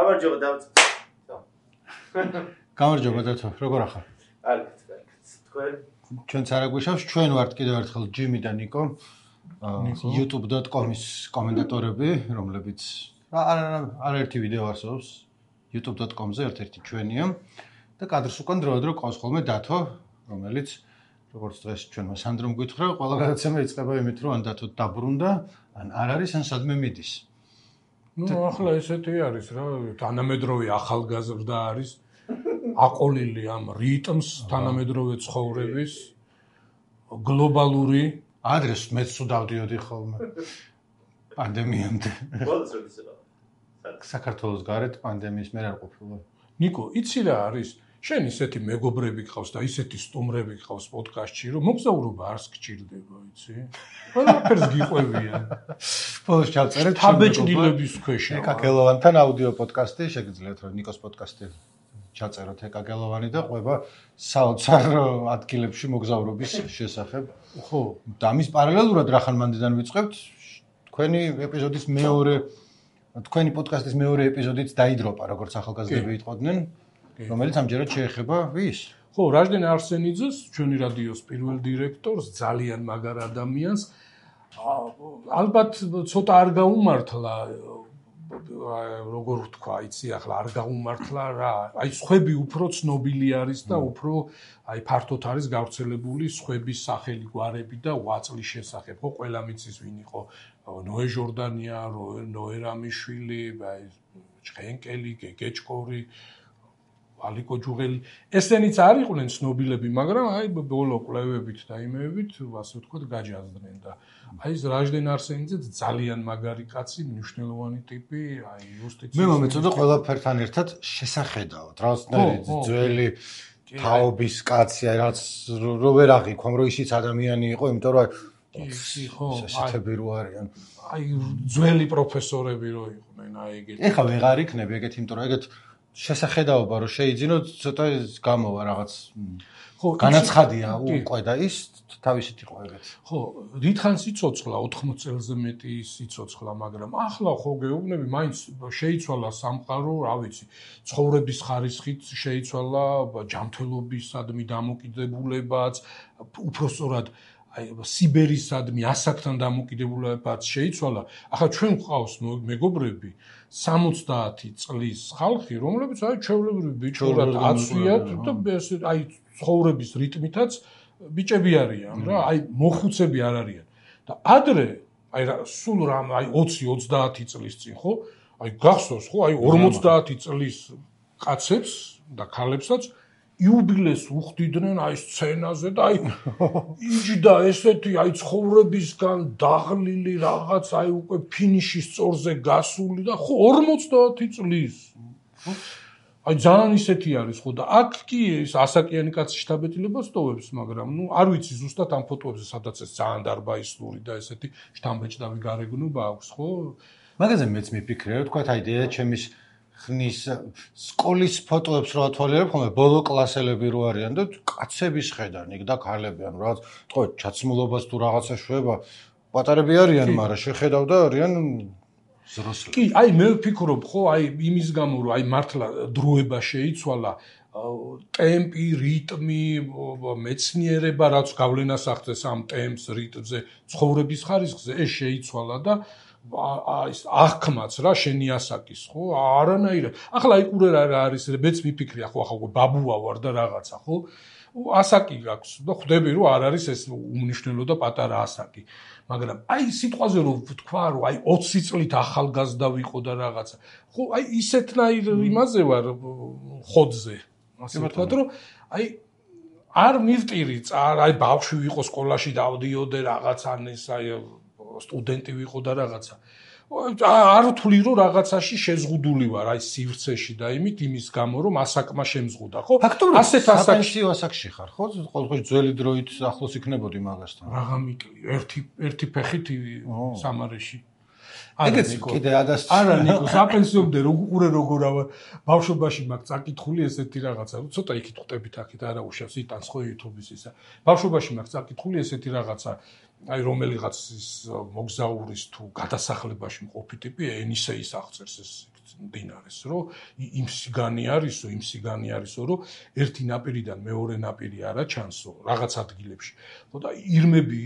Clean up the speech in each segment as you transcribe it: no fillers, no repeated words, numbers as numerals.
გამარჯობა დავწ. გამარჯობა დათო, როგორ ახარ? კარგად. თქვენ? ჩვენც არ აგვიშავს, ჩვენ ვართ კიდევ ერთხელ ჯიმი და ნიკო. youtube.com-ის კომენტატორები, რომლებიც არაერთი ვიდეო არსებობს youtube.com-ზე ერთ-ერთი ჩვენია და კადრს უკან დროდადრო ყავს ხოლმე დათო, რომელიც როგორც დღეს ჩვენმა სანდრომ გითხრა, ყველა გადაცემა იწყება იმით, რომ ან დათო დაბრუნდა, ან არ არის, ან სადმე მიდის. ახლა ესეთი არის რა, თანამედროვე ახალგაზრდა არის, აყოლილი ამ რიტმს თანამედროვე ცხოვრების, გლობალური ადრეს მეც თუ დავდიოდი ხოლმე პანდემიამდე. ბოლოს როდის იყო? საქართველოს გარეთ პანდემიის მერე არ ყოფილა. ნიკო, იცი რა არის? შენ ისეთი მეგობრები გყავს და ისეთი სტუმრები გყავს პოდკასტში, რომ მოგზაურობა არც გჭირდება, იცი? ყველაფერს გიყვებიან. ბოლოს ჩავწერეთ თაბეჭდილების ქვეშ. ეკა გელოვანთან აუდიო პოდკასტი, შეგიძლიათ რომ ნიკოს პოდკასტი ჩაწეროთ ეკა გელოვანი და ყვება საოცარ ადგილებში მოგზაურობის შესახებ. ხო, და ამის პარალელურად რახან მანდიდან ვიწყებთ, თქვენი პოდკასტის მეორე ეპიზოდიც დაიდროპა, როგორც ახალგაზრდები იტყოდნენ, რომელიც ამჯერად შეეხება ვის? ხო, რაჟდენ არსენიძეს, ჩვენი რადიოს პირველ დირექტორს, ძალიან მაგარ ადამიანს. ალბათ ცოტა არ გაუმართლა, როგორ ვთქვა, იცი, ახლა არ გაუმართლა რა. აი, სხვები უფრო ცნობილი არის და უფრო აი ფართოდ არის გავრცელებული სხვების სახელი, გვარები და ღვაწლის შესახებ. ხო, ყველა მიცის ვინ იყო ნოე ჟორდანია, ნოე რამიშვილი, აი ჭყენკელი, გეგეჭკორი, ალიკო ჯუღელი. ესენიც არ იყვნენ ცნობილები, მაგრამ აი ბოლო კვლევებით და იმეებით, ასე ვთქვათ, გაჯაზდნენ და აი ეს რაჟდენ არსენიძე ძალიან მაგარი კაცი, მნიშვნელოვანი ტიპი, აი იუსტიციის. მე მომეწოდა ყველაფერთან ერთად შესახედავად, რაღაცნაირი ძველი თაობის კაცი, აი რაც რო ვერ აღიქვამ, რომ ისიც ადამიანი იყო, იმიტომ რომ ხო, ესეთები რო არიან. აი ძველი პროფესორები რო იყვნენ, აი ეგეთი. ეხლა ვეღარ იქნები ეგეთი, იმიტომ რომ ეგეთ შესახედაობა რომ შეიძინოთ, ცოტა გამოვა რაღაც. ხო, განაცხადია უკვე და ის თავისით იყო ეგეთ. ხო, დიდხანს იცოცხლა 80 წელზე მეტი იცოცხლა, მაგრამ ახლა ხო გეუბნები, მაინც შეიცვალა სამყარო, რა ვიცი, ცხოვრების ხარისხით შეიცვალა, ჯანმრთელობისადმი დამოკიდებულებაც, უпростоრად აი სიბერისადმი ასაკთან დამოკიდებულებაც შეიცვალა. ახლა ჩვენ გვყავს მეგობრები 70 წლის ხალხი, რომლებიც აი ჩვეულებრივი ბიჭურად აცვიათ და აი ცხოვრების რიტმითაც ბიჭები არიან რა, აი მოხუცები არ არიან. და ადრე აი სულ რამ აი 20-30 წლის წინ ხო, აი გახსოვს ხო, აი 50 წლის კაცებს და ქალებსაც იუბილეს უხდიდნენ აი სცენაზე და აი იჯდა ესეთი აი ცხოვრებისგან დაღლილი რაღაც აი უკვე ფინიშის წორზე გასული და ხო 50 წლის. აი ძალიან ისეთი არის ხო და აქ კი ეს ასაკიანი კაცი შთაბეჭდილებას ტოვებს, მაგრამ ნუ არ ვიცი ზუსტად ამ ფოტოებზე სადაც ეს ძალიან დარბაისლური და ესეთი შთამბეჭდავი გარეგნობა აქვს ხო? მაგაზე მეც მიფიქრე, თქვა აი დედაჩემის ხნის სკოლის ფოტოებს რო ათვალიერებ, ხოლმე ბოლო კლასელები რო არიან და კაცების ხედან იქ და ქალები ან რაღაც თქო ჩაცმულობას თუ რაღაცა შვება, პატარები არიან, მაგრამ შეხედავ და არიან ზროსლები. კი, აი მე ვფიქრობ, ხო, აი იმის გამო რომ აი მართლა დროება შეიცვალა, ტემპი, რიტმი, მეცნიერება, რაც გავლენას ახდენს ამ ტემპს, რიტმზე, ცხოვრების ხარისხზე, ეს შეიცვალა და ის აღქმაც რა შენი ასაკის, ხო? არანაირად. ახლა იყურე რა არის, მეც მიფიქრია, ხო, ახლა ბაბუა ვარ და რაღაცა, ხო? ასაკი გაქვს და ხვდები რომ არ არის ეს უმნიშვნელო და პატარა ასაკი. მაგრამ აი სიტყვაზე რომ ვთქვა რომ აი 20 წლით ახალგაზრდა ვიყო და რაღაცა. ხო, აი ისეთნაირ იმაზე ვარ ხოდზე. ასე ვთქვათ რომ აი არ მივტირი აი ბავშვი ვიყო სკოლაში დავდიოდე რაღაცა ეს აი სტუდენტი ვიყო და რაღაცა. არ ვთვლი რომ რაღაცაში შეზღუდული ვარ აი სივრცეში და იმის გამო რომ ასაკმა შემზღუდა, ხო? ასეთ ასაკში ხარ, ხო? ყოველთვის ძველი დროით ახლოს იქნებოდი მაგასთან. რაღა მიკლი, ერთი ფეხით სამარეში. ეგეც კიდე ადას არა ნიკო, საპენსიომდე უყურე როგორა ბავშვობაში მაქვს წაკითხული ესეთი რაღაცა, ცოტა იქით ხვდებით აქეთ არა უშავს იტანს ხო YouTube-ის ისა. ბავშვობაში მაქვს წაკითხული ესეთი რაღაცა, აი რომელიღაც ის მოგზაურის თუ გადასახლებაში მყოფი ტიპი ენისეის აღწერს ეს მდინარეს, რომ იმ სიგანი არისო, რომ ერთი ნაპირიდან მეორე ნაპირი არა ჩანსო რაღაც ადგილებში. და ირმები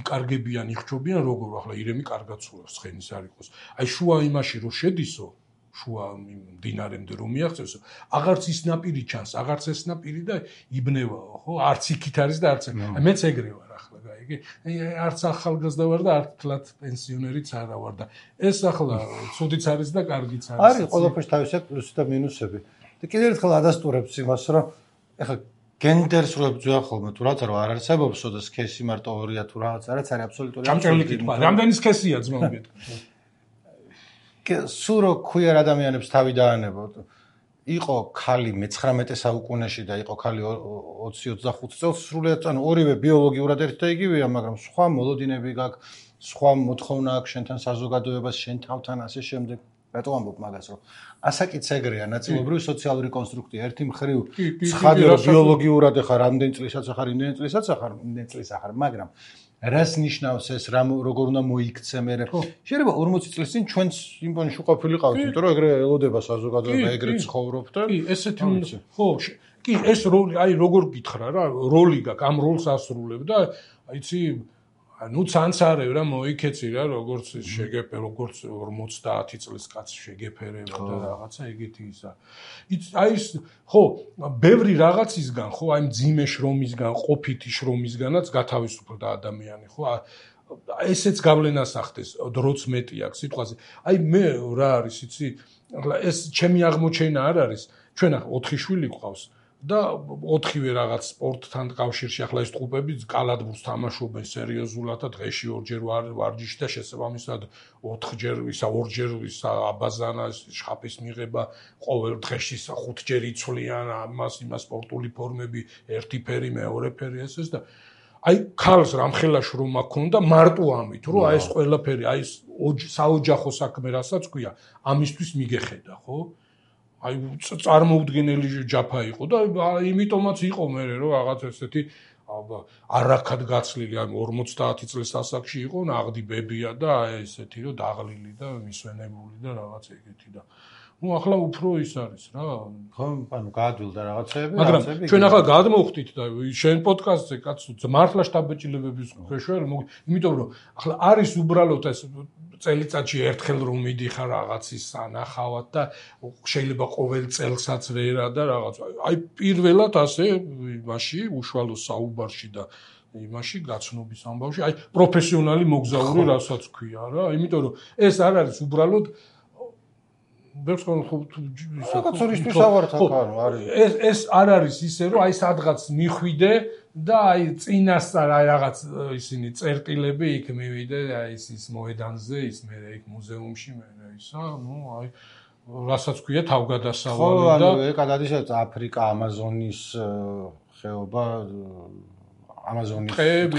იკარგებიან, იხჩობიან როგორ ახლა ირემი კარგად ცურავს ცხენის არ იყოს. აი შუა იმაში რომ შედისო შუა მდინარემდე რომ მიაღწევსო, აღარც ის ნაპირი ჩანს, აღარც ეს ნაპირი და იბნევაო, ხო? არც იქით არის და არც. აი მეც ეგრე ვარ ახლა, გაიგე? არც ახალგაზრდა ვარ და არც თლათ პენსიონერიც არა ვარ და ეს ახლა ცუდიც არის და კარგიც არის. არის ყველაფერს თავისი პლუსი და მინუსები. და კიდევ ერთხელ ადასტურებს იმას, რომ ეხლა გენდერს რო ებრძვა ხოლმე თუ რაც არ არსებობსო და სქესი მარტო ორია თუ რაღაც არის აბსოლუტური. ჭამჭელი კითხვა, რამდენი სქესია ძმა მეთქი? სულ რო ქვიერ ადამიანებს თავი დაანებოთ. იყო ქალი მე-19 საუკუნეში და იყო ქალი 20-25 წელს სრულიად, ანუ ორივე ბიოლოგიურად ერთი და იგივეა, მაგრამ სხვა მოლოდინები გაქვს, სხვა მოთხოვნა აქვს შენთან საზოგადოებას, შენ თავთან ასე შემდეგ. რატო ამბობ მაგას, რომ ასაკიც ეგრეა, ნაწილობრივ სოციალური კონსტრუქტია. ერთი მხრივ ცხადია, რომ ბიოლოგიურად ახლა რამდენი წლისაც ახარ, იმდენი წლის ახარ, მაგრამ რას ნიშნავს ეს, როგორ უნდა მოიქცე მე? შეიძლება 40 წლის წინ ჩვენც იმპონში ყოფილი ყავით, იმიტომ რომ ეგრე ელოდება საზოგადოება, ეგრე ცხოვრობ და კი, ესეთი ხო, კი, ეს როლი, აი როგორ გითხრა რა, როლი გაქვს, ამ როლს ასრულებ და აიცი ნუ ცანცარევ რა მოიქეცი რა როგორც შეგეფე როგორც 50 წლის კაცი შეგეფერება და რაღაცა ეგეთი ისა. აი ეს ხო ბევრი რაღაცისგან ხო აი მძიმე შრომისგან ყოფითი შრომისგანაც გათავისუფლდა ადამიანი ხო ესეც გავლენას ახდენს დროც მეტი აქვს სიტყვაზე. აი მე რა არის იცი ეს ჩემი აღმოჩენა არ არის ჩვენ ახლა 4 შვილი გვყავს და 4-ვე რაღაც სპორტთან კავშირში ახლა ეს ტყუპები კალათბურთს თამაშობენ სერიოზულად და დღეში 2-ჯერ ვარჯიში და შესაბამისად 4-ჯერ ისა 2-ჯერ ისა აბაზანა შხაპის მიღება ყოველ დღეში 5-ჯერ იცვლიან ამას იმას სპორტული ფორმები ერთი ფერი მეორე ფერი ესეც და აი ქალს რამხელა შრომა ქონდა მარტო ამით რომ აი ეს ყველაფერი აი ეს საოჯახო საქმე რასაც ქვია ამისთვის მიგეხედა ხო აი წარმოუდგენელი ჯაფა იყო და იმიტომაც იყო მე რომ რაღაც ესეთი არაქად გაცლილი აი 50 წლის ასაკში იყო ნაღდი ბებია და აი ესეთი რომ დაღლილი და მისვენებული და რაღაც ეგეთი და ნუ ახლა უფრო ის არის რა ხო ანუ გაადვილდა რაღაცები მაგრამ ჩვენ ახლა გადმოვხდით და შენ პოდკასტზე კაცო მართლა შტაბ-ბეჭდილებების ქვეშ იმიტომ რომ ახლა არის უბრალოდ ეს წელიწადში ერთხელ რომ მიდიხარ რაღაცის ანახავად და შეიძლება ყოველ წელსაც ვერა და რაღაც აი პირველად ასე იმაში უშუალო საუბარში და იმაში გაცნობის ამბავში აი პროფესიონალი მოგზაური რასაც ქვია რა იმიტომ რომ ეს არ არის უბრალოდ რაღაცურისთვის ავართ აქ არის ეს არ არის ისე რომ აი სადღაც მიხვიდე და აი წინასწარ აი რაღაც ისინი წერტილები იქ მივიდე აი ის მოედანზე ის მე იქ მუზეუმში მე ისა ნუ აი რასაც ქვია თავგადასავალი და ხო ანუ ეკადადის აფრიკა ამაზონის ხეობა ამაზონის ტყეები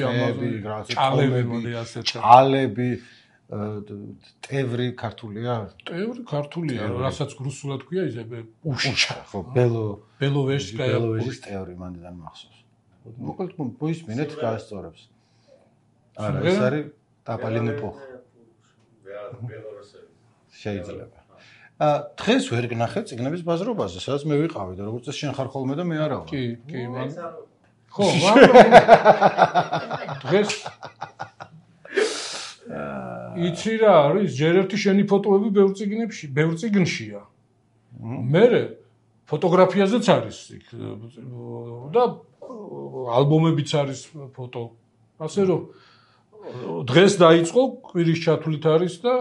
ჭალები ტევრი ქართულია ქართულია რასაც რუსულად ქვია ის პუშჩა ხო ბელოვეჟსკაია ბელოვეჟის ტევრი მანდიდან მახსოვს მოკლედ ბუის მინეთ გაასწორებს არა ეს არის ტაპალინეპო შეიძლება დღეს ვერ გნახე წიგნების ბაზრობაზე სადაც მე ვიყავი და როგორც წესი შენ ხარ ხოლმე და მე არა ვარ კი მან ხო მაგრამ დღეს იცი რა არის ჯერ ერთი შენი ფოტოები ბევრ წიგნშია მე ფოტოგრაფიაზეც არის და ალბომებიც არის ფოტო ასე რომ დღეს დაიწყო კვირის ჩათვლით არის და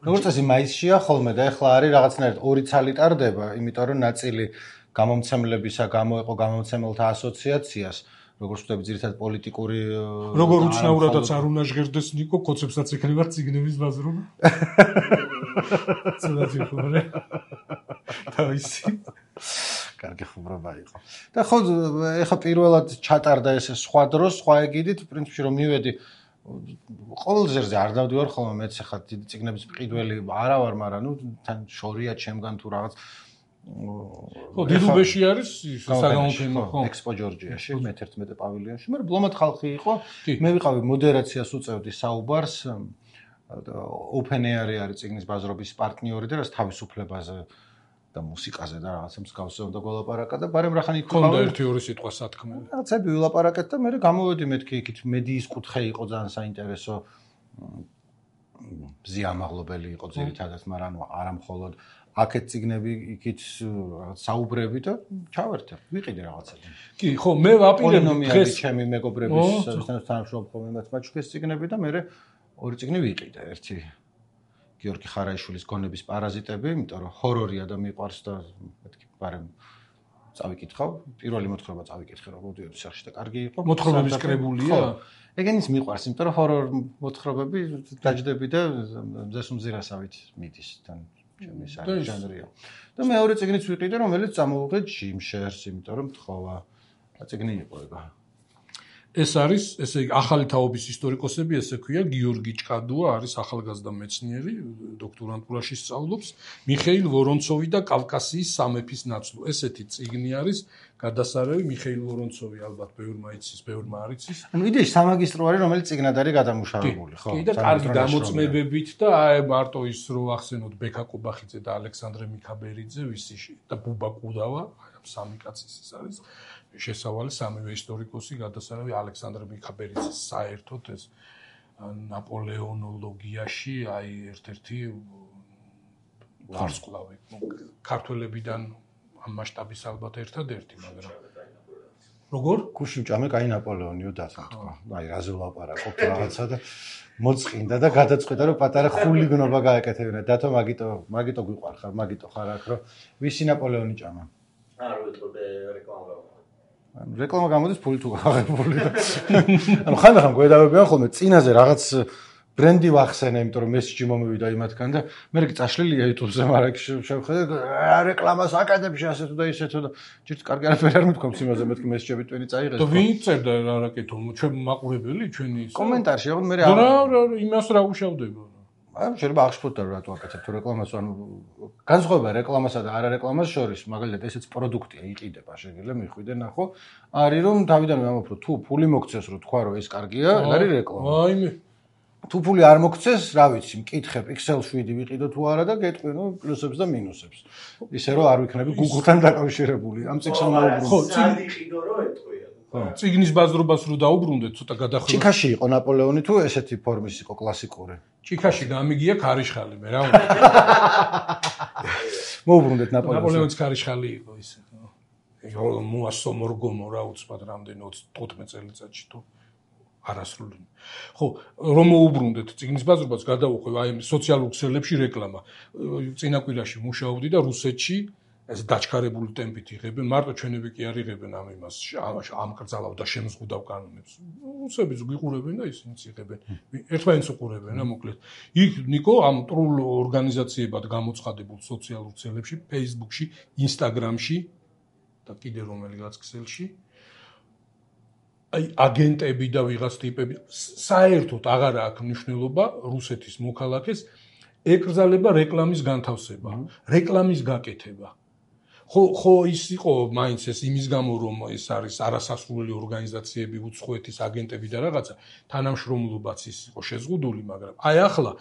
როგორც წესი მაისშია ხოლმე და ეხლა არის რაღაცნაირად 2 ცალი ტარდება იმიტომ რომ ნაწილი გამომცემლებისა გამოეყო გამომცემელთა ასოციაციას როგორც ვთქვი ძირითადად პოლიტიკური როგორ უცნაურადაც არ უნდა ჟღერდეს ნიკო კოცებსაც ექნება წიგნების ბაზრობა ცუდად ვიყურე თავისი კარგი ხუბრობა იყო და ხო ეხა პირველად ჩატარდა ეს სხვა დროს სხვა ეგიდით პრინციპში რომ მივედი ყოველ ზერზე არ დავდივარ ხოლმე მეც ეხა დიდი წიგნების მყიდველი არა ვარ მაგრამ ნუ თან შორია ჩემგან თუ რაღაც ხო დიდუბეში არის საგამოფენო ხო ექსპო ჯორჯიაში მე-11 პავილიონში მაგრამ ბლომად ხალხი იყო მე ვიყავი მოდერაციას უწევდი საუბარს OpenAI არის წიგნის ბაზრობის პარტნიორი და რაც თავისუფლებაზე და მუსიკაზე და რაღაცა მსგავსზე უნდა გველაპარაკა და ბარემ რახანი ქონდა ერთი ორი სიტყვა სათქმელი. რაღაცები ვილაპარაკეთ და მე გამოვედი მეთქი იქით მედიის კუთხე იყო ძალიან საინტერესო ზიამაღლობელი იყო ძირითადად, მაგრამ არა მხოლოდ აქეთ წიგნები იქით საუბრები და ჩავერთე, ვიყიდე რაღაცები. კი, ხო, მე ვაპირებ დღეს ჩემი მეგობრების თანამშრომლობ ხოლმე მაჩუქეს წიგნები და მე ორი წიგნი ვიყიდე, ერთი გიორგი ხარაიშვილის გონების პარაზიტები, იმიტომ რომ ჰორორია და მიყვარს და მეთქი ბარემ წავიკითხავ, პირველი მოთხრობა წავიკითხე, რომ მოდიოდი სახში და კარგი იყო. მოთხრობების კრებულია? ეგენის მიყვარს, იმიტომ რომ ჰორორ მოთხრობები დაждები და მზეს უმზირასავით მიდის თან ჩემი ჟანრია. და მეორე წიგნიც ვიყიდე, რომელიც წამოვიღე ჯიმ შერს, იმიტომ რომ თხოვა. წიგნი იყო ეგა. ეს არის, ესე იგი, ახალი თაობის ისტორიკოსები, ესე ქვია, გიორგი ჭკადუა არის ახალგაზრდა მეცნიერი, დოქტორანტურაში სწავლობს, მიხეილ ვორონცოვი და კავკასიის სამეფის ნაცვლი. ესეთი წიგნი არის, გადასარევი მიხეილ ვორონცოვი ალბათ ბევრმა იცის, ბევრმა არ იცის. ანუ იდეაში სამაგისტრო არის, რომელიც წიგნად არის გადამუშავებული, ხო? კი, და კარგი დამოწმებებით და აი მარტო ის რო ახსენოთ ბექა კობახიძე და ალექსანდრე მიქაბერიძე, ვისი და ბუბა კუდავა, სამი კაცის ის არის. შესავალი სამივე ისტორიკოსი გადასარევი ალექსანდრე მიქაბერიძის საერთოდ ეს ნაპოლეონოლოგიაში აი ერთ-ერთი ვარსკვლავი ქართველებიდან ამ მასშტაბის ალბათ ერთადერთი, მაგრამ როგორ გუშინჭამე კაი ნაპოლეონიო დათმო. აი რაზე ვლაპარაკობ რაღაცა და მოწყინდა და გადაწყვიტა რომ პატარა ხულიგნობა გააკეთებინა. დათო მაგიტო გვიყვარხარ, მაგიტო ხარ აქ რომ ვისი ნაპოლეონი ჭამა? არ ვიტყოდე რეკლამა. რეკლამა გამოდის ფული თუ აღებული და ანუ ხანდახან გვედავებიან ხოლმე წინაზე რაღაც ბრენდი ვახსენე, იმიტომ რომ მესიჯი მომივიდა იმათგან და მე კი წაშლილია YouTube-ზე, მაგრამ შევხედე რეკლამას აკადებში ასე თუ და ისე თუ და ჯერ კარგი არაფერი არ მithქვამს იმაზე, მეთქი მესიჯები ტვინი წაიღეს. და ვინ წერდა რა რაკეთო, ჩვენ მაყურებელი ჩვენი ის კომენტარში, ხო მე რა იმას რა უშავდება. აი შეიძლება აღშფოთდა რომ რატო აკეთებ თუ რეკლამას, ანუ განსხვავება რეკლამასა და არა რეკლამას შორის, მაგალითად ესეც პროდუქტია, იყიდება, შეგიძლია მიხვიდე, ნახო, არის რომ თავიდანვე ამბობ რომ თუ ფული მოგცეს რომ თქვა რომ ეს კარგია, არის რეკლამა. აიმე თუ ფული არ მოგცეს, რა ვიცი, მკითხე Pixel 7 ვიყიდო თუ არა და გეტყვი ნუ პლუსებს და მინუსებს. ისე რომ არ ვიქნები Google-თან დაკავშირებული. ამ წიგნს ამაუბრუნდ. ხო, წიგნიყიდო რომ ეტყვია. წიგნის ბაზრობას რო დაუბრუნდეთ, ცოტა გადახრა. ჩიქაში იყო ნაპოლეონი თუ ესეთი ფორმის იყო კლასიკური? ჩიქაში გამიგია ქარიშხალი, მე რა უნდა. მოუბრუნდეთ ნაპოლეონს. ნაპოლეონის ქარიშხალი იყო ისე. ეგ მოასო მორგომო რა უცბად რამდენი 15 წელიწადში თუ არასრული. ხო, რომ მოუბრუნდეთ წიგნის ბაზრობას, გადავუხვევ აი სოციალურ ქსელებში რეკლამა. წინა კვირაში მუშაობდი და რუსეთში ეს დაჩქარებული ტემპით იღებენ, მარტო ჩვენები კი არ იღებენ ამ იმას, ამ კრძალავ და შემზღუდავ კანონებს. რუსებიც გვიყურებენ და ისინიც იღებენ. ერთმანეთს უყურებენ რა მოკლედ. იქ ნიკო ამ ტრულ ორგანიზაციებად გამოცხადებულ სოციალურ ქსელებში, Facebook-ში, Instagram-ში და კიდე რომელიღაც ქსელში აი აგენტები და ვიღაც ტიპები საერთოდ აღარ აქვს მნიშვნელობა რუსეთის მოქალაქეს ეკრძალება რეკლამის განთავსება, რეკლამის გაკეთება. ხო ის იყო მაინც ეს იმის გამო რომ ეს არის არასასრული ორგანიზაციები, უცხოეთის აგენტები და რაღაცა თანამშრომლობაც ის იყო შეზღუდული, მაგრამ აი ახლა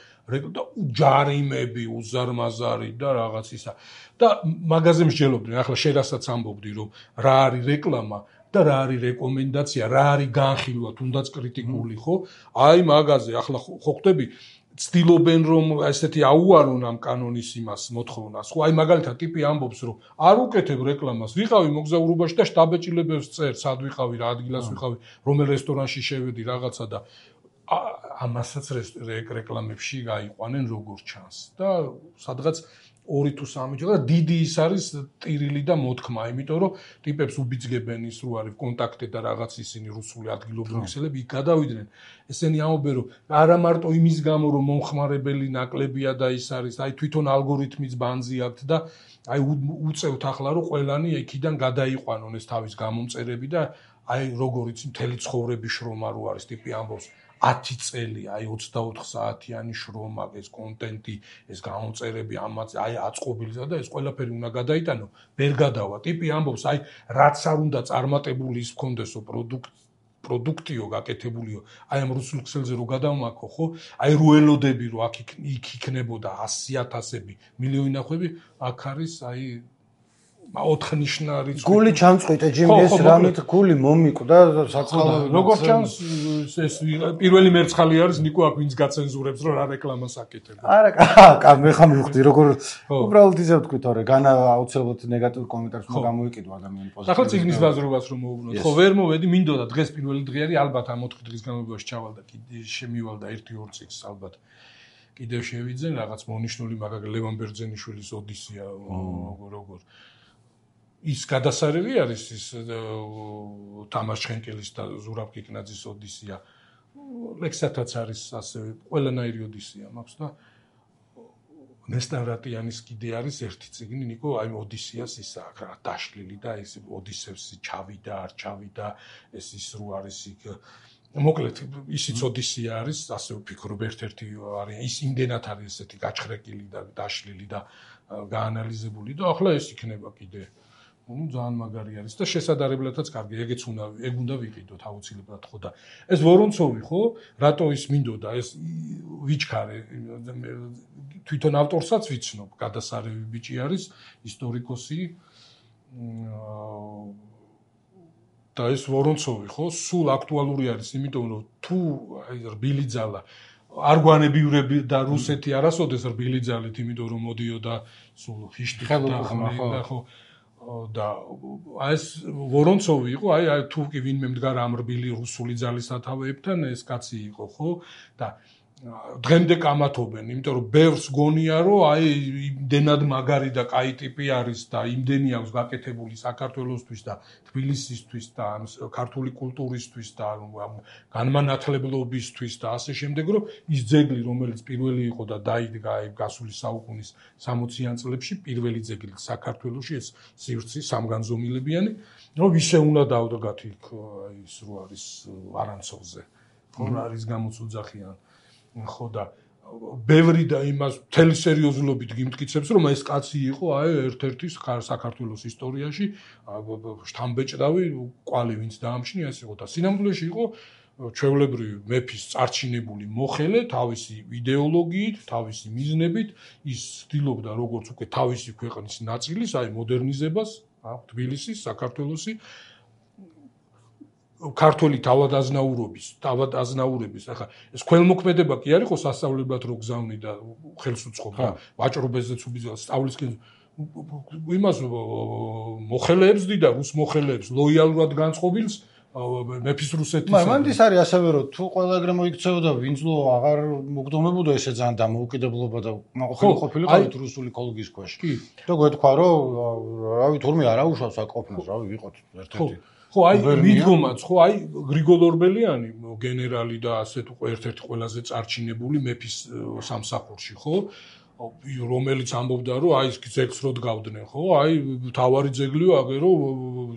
ჯარიმები, უზარმაზარი და რაღაც ისა და მაგაზე მსჯელობდნენ, ახლა შენ რასაც ამბობდი რომ რა არის რეკლამა და რა არის რეკომენდაცია, რა არის განხილვა, თუნდაც კრიტიკული, ხო? აი მაგაზე ახლა ხო ხტები ცდილობენ რომ ესეთი აუარონ ამ კანონის იმას მოთხოვნას. ხო, აი მაგალითად ტიპი ამბობს რომ არ უკეთებ რეკლამას, ვიყავი მოგზაურობაში და შტაბეჭილებებს წერ, სად ვიყავი, რა ადგილას ვიყავი, რომელ რესტორანში შევედი რაღაცა და ამასაც რეკლამებში გაიყვანენ როგორც ჩანს. და სადღაც 2 თუ 3 ჯერ და დიდი ის არის ტირილი და მოთქმა, იმიტომ რომ ტიპებს უბიძგებენ ის რო არის კონტაქტი და რაღაც ისინი რუსული ადგილობრივი ქსელები იქ გადავიდნენ. ესენი ამბობენ რომ არა მარტო იმის გამო რომ მომხმარებელი ნაკლებია და ის არის, აი თვითონ ალგორითმიც ბანძი აქვს და აი უწევთ ახლა რომ ყველანი იქიდან გადაიყვანონ ეს თავის გამომწერები და აი როგორიც მთელი ცხოვრების შრომა რო არის ტიპი ამბობს 10 წელი, აი 24 საათიანი შრომა, ეს კონტენტი, ეს გამომწერები, ამაც აი აწყობილისა და ეს ყველაფერი უნდა გადაიტანო, ვერ გადავა. ტიპი ამბობს, აი რაც არ უნდა წარმატებული ის მქონდესო პროდუქტიო გაკეთებულიო აი ამ რუსულ ქსელზე რო გადავმაქო ხო აი რო ელოდები რო აქ იქნებოდა 100,000-ები მილიონინახვები აქ არის აი 4 ნიშნა რიცხვი გული ჩამწყვიტე ჯიმის რამით გული მომიკვდა საწყალო როგორც ჩანს ეს პირველი მერცხალი არის ნიკო აქ ვინც გაცენზურებს რომ რა რეკლამას აკეთებ არა მე ხა მივხვდი როგორ უბრალოდ ისე ვთქვი თორე განა აუცილებლად ნეგატიურ კომენტარს უნდა გამოიკიდო ადამიანი პოზიტივი ახლა ციგნის ბაზრობას რომ მოუბრუნოთ ხო ვერ მოვედი მინდოდა დღეს პირველი დღე არის ალბათ ამ 4 დღის განმავლობაში ჩავალ და კიდე შემივალ და 1-2 წიგნს ალბათ კიდევ შევიძენ რაღაც მონიშნული მაგალითად ლევან ბერძენიშვილის ოდისია როგორ ის გადასარევი არის ის თამარ ჩხენკელის და ზურაბ კიკნაძის ოდისია ლექსათაც არის ასევე ყველანაირი ოდისია მაქვს და ნესტან რატიანის კიდე არის ერთი წიგნი ნიკო აი ოდისიას ისა რა დაშლილი და ეს ოდისევსი ჩავიდა არ ჩავიდა ეს ის რო არის იქ მოკლედ ისიც ოდისია არის ასე ვფიქრობ ერთ-ერთი არის ის იმდენად არის ესეთი გაჩხრეკილი და დაშლილი და გაანალიზებული და ახლა ეს იქნება კიდე ძალიან მაგარი არის და შესაძლებელადაც კარგი ეგეც უნდა ვიყიდოთ აუცილებლად ხო და ეს ვორონცოვი ხო რატო ის მინდოდა ეს ვიჩქარე თვითონ ავტორსაც ვიცნობ გადასარევი ბიჭი არის ისტორიკოსი და ეს ვორონცოვი ხო სულ აქტუალური არის იმიტომ რომ თუ რბილი ძალა არგვანებიურები და რუსეთი არასოდეს რბილი ძალით იმიტომ რომ მოდიოდა სულ ფიშტი და ხო და ეს ვორონცოვი იყო აი თუ კი ვინმე მდგარ ამ რბილი რუსული ძალის სათავეებთან ეს კაცი იყო ხო და დღემდე კამათობენ იმიტომ რომ ბევრს გონია რომ აი იმდენად მაგარი და კაი ტიპი არის და იმდენი აქვს გაკეთებული საქართველოსთვის და თბილისისთვის და ქართული კულტურისთვის და განმანათლებლობისთვის და ასე შემდეგ რომ ის ძეგლი რომელიც პირველი იყო და დაიდგა აი გასული საუკუნის 60-იან წლებში პირველი ძეგლი საქართველოში ეს სივრცე სამგანზომილებიანი რომ ისე უნდა დავდგათ იქ აი ის რო არის არანცოვზე ხო არის გამოწუძახიან ხო და ბევრი და იმას მთელი სერიოზულობით გიმტკიცებს რომ ეს კაცი იყო აი ერთ-ერთი საქართველოს ისტორიაში შთამბეჭდავი კვალი ვინც დაამჩნია ეს იყო და სინამდვილეში იყო ჩვეულებრივი მეფის წარჩინებული მოხელე თავისი იდეოლოგიით თავისი მიზნებით ის ცდილობდა როგორც უკვე თავისი ქვეყნის ნაწილის აი მოდერნიზებას თბილისის საქართველოსი ქართული თავადაზნაურების ახლა ეს ქველმოქმედება კი არ იყო სასწავლებლად რო გზავნი და ხელს უწყობდა ვაჭრობეზეც სწავლისკენ იმას მოხელეებს დიდა რუს მოხელეებს ლოიალურად განწყობილს მეფის რუსეთის მანდ ის არის ასევე რომ თუ ყველა ეგრე მოიქცეოდა ვინძლო აღარ მოგდომებოდა ესე ძალიან დამოუკიდებლობა და ყოფილიყავით რუსული კოლგის ქვეშ და გვეთქვა რომ რავი თურმე არა უშავს აქ ყოფნას რავი ვიყოთ ერთ-ერთი ხო აი მიდგომაც ხო აი გრიგოლ ორბელიანი გენერალი და ასე თუ ერთ-ერთი ყველაზე წარჩინებული მეფის სამსახურში ხო რომელიც ამბობდა რომ აი ეს ძეგლს რო დგავდნენ ხო აი თავარი ძეგლიო აგერო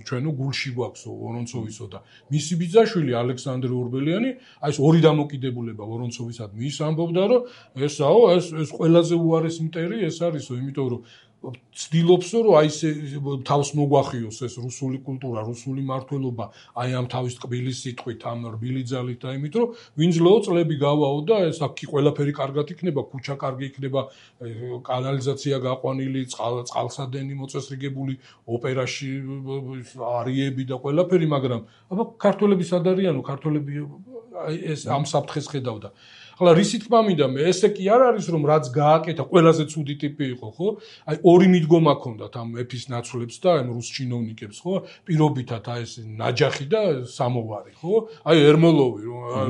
ჩვენო გულში გვაქვსო ვორონცოვისო და მისი ბიძაშვილი ალექსანდრე ორბელიანი აი ეს ორი დამოკიდებულება ვორონცოვისადმი ის ამბობდა რომ ესაო ეს ყველაზე უარესი მტერი ეს არისო იმიტომ რომ ცდილობსო რომ აი ეს თავს მოგვახიოს ეს რუსული კულტურა, რუსული მართლობა, აი ამ თავის ტკბილი სიტყვით, ამ რბილი ძალით და იმით რომ ვინძლო წლები გავაო და ეს აქ ყველაფერი კარგად იქნება, ქუჩა კარგი იქნება, კანალიზაცია გაყვანილი, წყალსადენი მოწესრიგებული, ოპერაში არიები და ყველაფერი, მაგრამ აბა ქართველები სად არიანო, ქართველები აი ეს ამ საფრთხეს ხედავდა. ახლა რისი თქმა მინდა მე ესე კი არ არის რომ რაც გააკეთა ყველაზე ცუდი ტიპი იყო ხო აი ორი მიდგომა ჰქონდათ ამ მეფის ნაცვლებს და ამ რუს ჩინოვნიკებს ხო პირობითად აი ეს ნაჯახი და სამოვარი ხო აი ერმოლოვი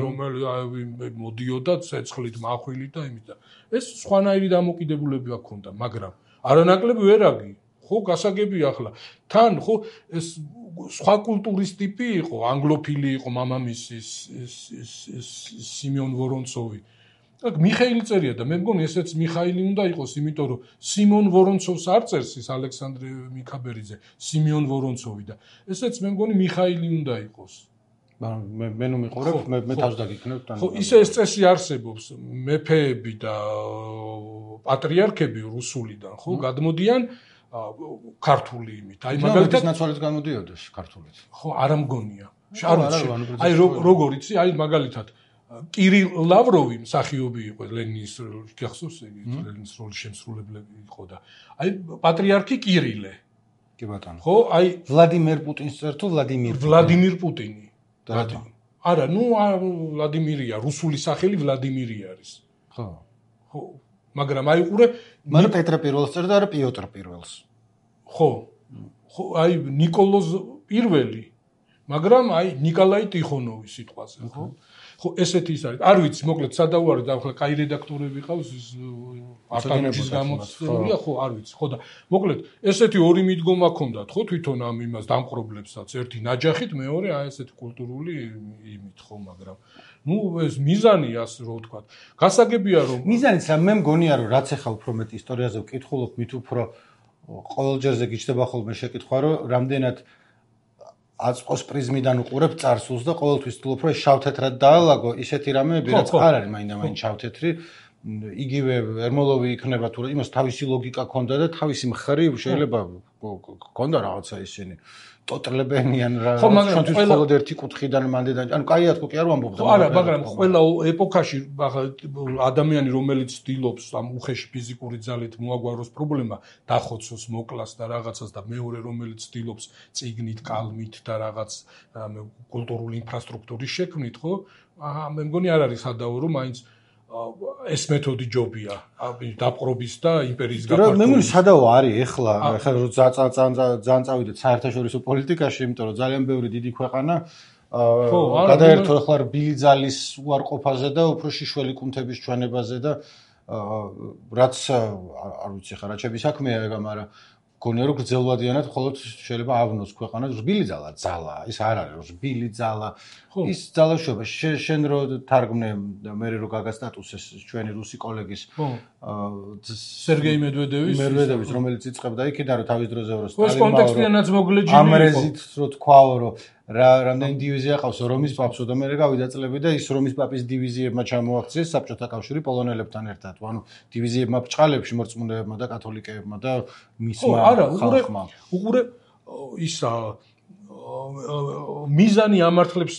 რომელიც მოდიოდა ცეცხლით מחვილით და იმით და ეს სხვანაირი დამოკიდებულებები ჰქონდა მაგრამ არანაკლები ვერაგი ხო გასაგებია ახლა თან ხო ეს სხვა კულტურის ტიპი იყო ანგლოფილი იყო მამამისის სიმონ ვორონცოვი აქ მიხაილი წერია და მე მგონი ესეც მიხაილი უნდა იყოს იმიტომ რომ სიმონ ვორონცოვს არ წერს ის ალექსანდრე მიქაბერიძე სიმონ ვორონცოვი და ესეც მე მგონი მიხაილი უნდა იყოს მე ნუ მიყურებ მე თავს დაგიქნებ თან ხო ისე ეს წესი არსებობს მეფეები და პატრიარქები რუსულიდან ხო გადმოდიან ქართული იმით. აი მაგალითად ნაცვალიც გამოდიოდეს ქართულით. ხო, არა მგონია. აი როგორ იცი, აი მაგალითად კირილ ლავროვი მსახიობი იყო ლენინის გახსოვს ლენინის როლის შემსრულებელი იყო და აი პატრიარქი კირილე. კი ბატონო. ხო, აი ვლადიმერ პუტინს წერ თუ ვლადიმირ პუტინი. არა, ნუ ვლადიმირია, რუსული სახელი ვლადიმირი არის. ხო. ხო, მაგრამ აი ყურე, მაგრამ პეტრე პირველს წერ და არა პიოტრ პირველს. ხო. ხო, აი ნიკოლოზ პირველი, მაგრამ აი ნიკოლაი ტიხონოვი სიტყვაზე, ხო? ხო, ესეთი ის არის. არ ვიცი, მოკლედ სადავარი და ახლა კაი რედაქტორები ყავს ის არტანების გამოცდილია, ხო, არ ვიცი. ხო და მოკლედ ესეთი ორი მიდგომა ჰქონდათ, ხო, თვითონ ამ იმას დამყრობლებსაც, ერთი ნაჯახით, მეორე აი ესეთი კულტურული იმით, ხო, მაგრამ ნუ ეს მიზანი ასე რო ვთქვათ. გასაგებია რომ მიზანიც მე მგონია რომ რაც ახლა უფრო მეტ ისტორიაზე ვკითხულობ, მით უფრო ყოველჯერზე გიჩნდება ხოლმე შეკითხვა, რომ რამდენად აწყოს პრიზმიდან უყურებ წარსულს და ყოველთვის ვთვლობ, რომ შავ-თეთრად დაალაგო ისეთი რამეები, რაც არ არის მაინდა-მაინც შავ-თეთრი. იგივე ერმოლოვი იქნება თუ იმას თავისი ლოგიკა ჰქონდა და თავისი მხრივ შეიძლება ჰქონდა რაღაცა ისინი ტოტლებენიან რა ჩვენთვის მხოლოდ ერთი კუთხიდან მანდედან ანუ კაია თქო კი არ ვამბობ არა მაგრამ ყველა ეპოქაში ადამიანი რომელიც ცდილობს ამ უხეში ფიზიკური ძალით მოაგვაროს პრობლემა დახოცოს მოკლას და რაღაცას და მეორე რომელიც ცდილობს წიგნით კალმით და რაღაც კულტურული ინფრასტრუქტურის შექმნით ხო მე მგონი არ არის სადაო რომ მაინც ეს მეთოდი ჯობია დაპყრობის და იმპერიის გაფართოების. მე მგონი სადაო არის ახლა რო ძალიან წავიდეთ საერთაშორისო პოლიტიკაში, იმიტომ რომ ძალიან ბევრი დიდი ქვეყანა გადაერთო ახლა რბილი ძალის უარყოფაზე და უფრო შიშველი კუნთების ჩვენებაზე და რაც არ ვიცი ხა რა ჩემი საქმეა ეგ მაგრამ გონია რომ გრძელვადიანად მხოლოდ შეიძლება ავნოს ქვეყანას რბილი ძალა ის არ არის რბილი ძალა ის ძალაშობა შენ რო თარგმნე მე რო გაგა სტატუსეს ჩვენი რუსი კოლეგის სერგეი მედვედევის რომელიც იწყებდა იქიდან რომ თავის დროზე რო სტალინმა ეს კონტექსტიანაც მოგლეჯილი იყო ამრეზით რო თქვაო რომ რამდენი დივიზია ყავს რომის პაპსო და მე გავიდა წლები და ის რომის პაპის დივიზიებმა ჩამოაქციეს საბჭოთა კავშირი პოლონელებთან ერთად. ანუ დივიზიებმა ბჭყალებში მორწმუნეებმა და კათოლიკეებმა და მისმა ხალხმა. უყურე ისა მიზანი ამართლებს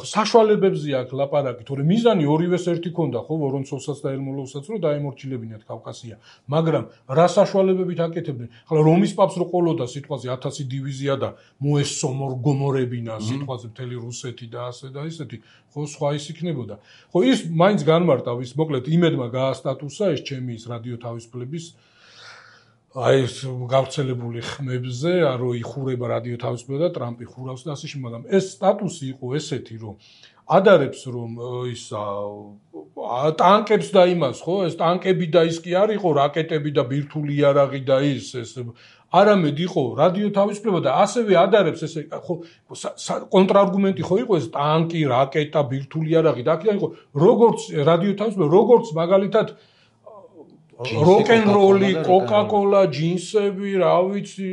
საშუალებებზე აქვს ლაპარაკი, თორემ მიზანი ორივეს ერთი ქონდა, ხო, ვორონცოვსაც და ერმოლოვსაც რომ დაემორჩილებინათ კავკასია. მაგრამ რა საშუალებებით აკეთებდნენ? ახლა რომის პაპს რო ყოლოდა სიტყვაზე 1000 დივიზია და მოესწო მორგომორებინა სიტყვაზე მთელი რუსეთი და ასე და ისეთი, ხო, სხვა ის იქნებოდა. ხო, ის მაინც განმარტავს, მოკლედ იმედმა გაასტატუსა ეს ჩემი ის რადიო თავისუფლების აი ეს გავრცელებული ხმებზე, რომ იხურება რადიო თავისუფლება და ტრამპი ხურავს და ასე შემდეგ, მაგრამ ეს სტატუსი იყო ესეთი, რომ ადარებს რომ ის ტანკებს და იმას, ხო, ეს ტანკები და ის კი არ იყო რაკეტები და ბირთვული იარაღი და ეს არამედ იყო რადიო თავისუფლება და ასევე ადარებს ესე ხო კონტრარგუმენტი ხო იყო ეს ტანკი, რაკეტა, ბირთვული იარაღი და აქედან იყო როგორც რადიო თავისუფლება, როგორც მაგალითად როკენროლი, კოკაკოლა, ჯინსები, რა ვიცი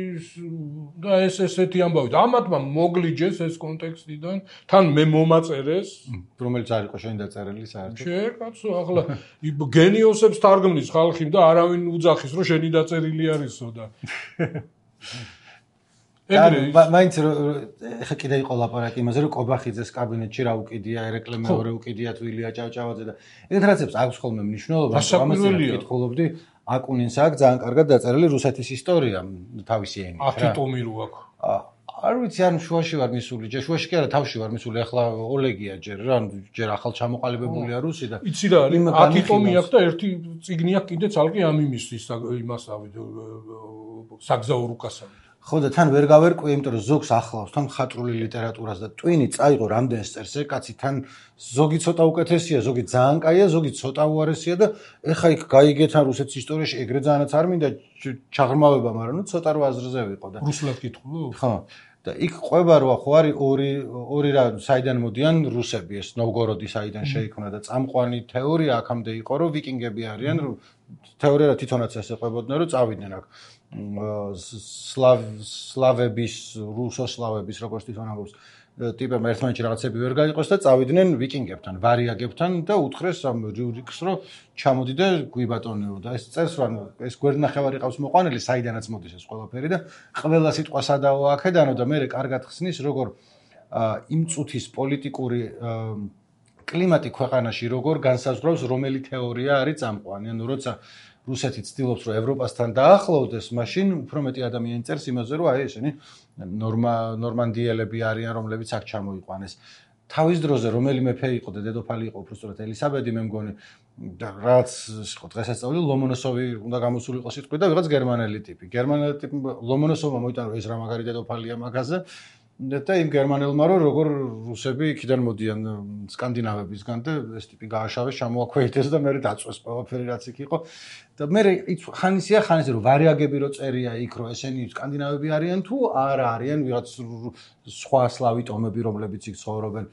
და ესეთი ამბავი. ამათმა მოგლიჯეს ეს კონტექსტიდან, თან მე მომაწერეს, რომელიც არ იყო შენ დაწერილი საერთოდ. კაცო, ახლა გენიოსებს თარგმნის ხალხი და არავინ უძახის, რომ შენი დაწერილი არისო და მაინც ხა კიდე იყო ლაპარაკი იმაზე რომ კობახიძეს კაბინეტში რა უკიდია ერეკლე მეორე უკიდია თვილია ჭავჭავაძე და ეგეთ რაღაცებს აქვს ხოლმე მნიშვნელობა ამას ვკითხულობდი აკუნინს აქვს ძალიან კარგად დაწერილი რუსეთის ისტორია თავისი ენით რა 10 ტომი რო აქვს არ ვიცი არ შუაში ვარ მისული შუაში კი არა თავში ვარ მისული ახლა ოლეგია ჯერ რა ჯერ ახალ ჩამოყალიბებულია რუსი და იცი რა არის 10 ტომი აქვს და ერთი წიგნი აქვს კიდე ცალკე ამ იმისთვის იმასავე საგზაო რუკასავე ხო და თან ვერ გავერკვე, იმიტომ რომ ზოგს ახლავს თან მხატვრული ლიტერატურას და ტვინი წაიღო რამდენს წერს კაცი თან ზოგი ცოტა უკეთესია, ზოგი ძალიან კაია, ზოგი ცოტა უარესია და ეხა იქ გაიგე თან რუსეთის ისტორიაში ეგრე ძალიანაც არ მინდა ჩაღრმავება, მაგრამ ნუ ცოტა რო აზრზე ვიყო და რუსულად კითხულობ? ხო. და იქ ყვება რა ხო არის ორი რა საიდან მოდიან რუსები ეს ნოვგოროდი საიდან შეიქმნა და წამყვანი თეორია აქამდე იყო რომ ვიკინგები არიან თეორია თვითონაც ესე ყვებოდნენ რომ წავიდნენ აქ სლავების რუსოსლავების როგორც თვითონ ამბობს ტიპებმა ერთმანეთში რაღაცები ვერ გაიყოს და წავიდნენ ვიკინგებთან ვარიაგებთან და უთხრეს ამ რიურიკს რომ ჩამოდი და გვიბატონეო და ეს წერს რომ ეს გვერდნახევარი ყავს მოყვანილი საიდანაც მოდის ეს ყველაფერი და ყველა სიტყვა სადაო აქედანო და მე კარგად ხსნის როგორ იმ წუთის პოლიტიკური კლიმატი ქვეყანაში როგორ განსაზღვრავს რომელი თეორია არის წამყვანი. ანუ როცა რუსეთი ცდილობს რომ ევროპასთან დაახლოვდეს, მაშინ უფრო მეტი ადამიანი წერს იმაზე რომ აი ესენი ნორმანდიელები არიან, რომლებიც აქ ჩამოიყვანეს. თავის დროზე რომელი მეფე იყო და დედოფალი იყო უბრალოდ ელისაბედი მე მგონი და რაც იყო დღესასწაული ლომონოსოვი უნდა გამოსულიყო სიტყვით და ვიღაც გერმანელი ტიპი. გერმანელი ტიპი ლომონოსოვმა მოიტანა ეს რა მაგარი დედოფალია მაგაზე და იმ გერმანელმა როგორ რუსები იქიდან მოდიან სკანდინავებისგან და ეს ტიპი გააშავეს, ჩამოაქვეითეს და მე დაწვეს ყველაფერი რაც იქ იყო. და მე ხანისია ხანის რომ ვარიაგები რო წერია იქ რომ ესენი სკანდინავები არიან თუ არა არიან ვიღაც სხვა სლავი ტომები რომლებიც იქ ცხოვრობენ.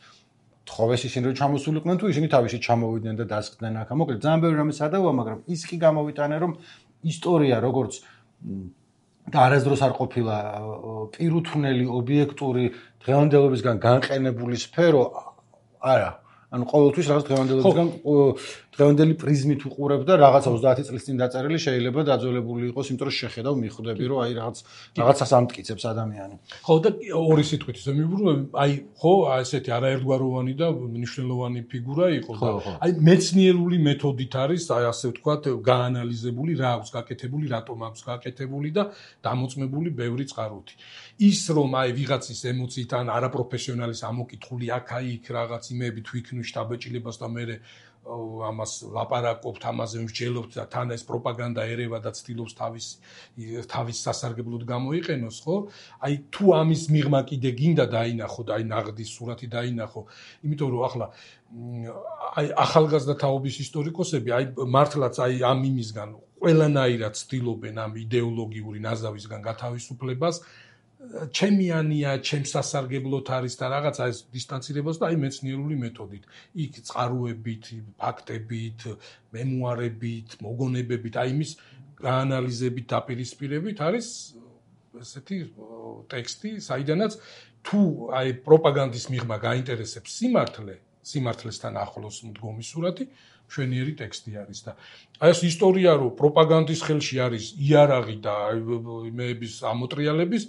თხოვეს ისინი რომ ჩამოსულიყვნენ თუ ისინი თავისი ჩამოვიდნენ და დასხდნენ აქ. მოკლედ ძალიან ბევრი რამე სადავოა, მაგრამ ის კი გამოვიტანე რომ ისტორია როგორც და არასდროს არ ყოფილა პირუთვნელი ობიექტური დღევანდელობისგან განყენებული სფერო არა. ანუ ყოველთვის რაღაც დღევანდელი პრიზმით უყურებ და რაღაცა 30 წლის წინ დაწერილი შეიძლება დაძველებული იყოს, იმიტომ რომ შეხედავ მიხვდები რომ აი რაღაცას ამტკიცებს ადამიანი. ხო და ორი სიტყვით ისე მივუბრუნებ, აი ხო ესეთი არაერთგვაროვანი და მნიშვნელოვანი ფიგურა იყო და აი მეცნიერული მეთოდით არის აი ასე ვთქვათ გაანალიზებული რა აქვს გაკეთებული, რატომ აქვს გაკეთებული და დამოწმებული ბევრი წყაროთი. ის რომ აი ვიღაცის ემოციით ან არაპროფესიონალის ამოკითხული აქ-აი იქ რაღაც იმეები თვითონ შტაბეჭილებას და მე ამას ლაპარაკობთ, ამაზე მსჯელობთ და თან ეს პროპაგანდა ერევა და ცდილობს თავის სასარგებლოდ გამოიყენოს, ხო? აი თუ ამის მიღმა კიდე გინდა დაინახო და აი ნაღდის სურათი დაინახო, იმიტომ რომ ახლა აი ახალგაზრდა თაობის ისტორიკოსები აი მართლაც აი ამ იმისგან ყველანაირად ცდილობენ ამ იდეოლოგიური ნაზავისგან გათავისუფლებას ჩემიანია, ჩემს სასარგებლოდ არის და რაღაცა ეს დისტანცირებას და აი მეცნიერული მეთოდით. იქ წყაროებით, ფაქტებით, მემუარებით, მოგონებებით, აი იმის გაანალიზებით, დაპირისპირებით არის ესეთი ტექსტი, საიდანაც თუ აი პროპაგანდის მიღმა გაინტერესებს სიმართლესთან ახლოს მდგომი სურათი, მშვენიერი ტექსტი არის და აი ეს ისტორია რომ პროპაგანდის ხელში არის იარაღი და იმეების ამოტრიალების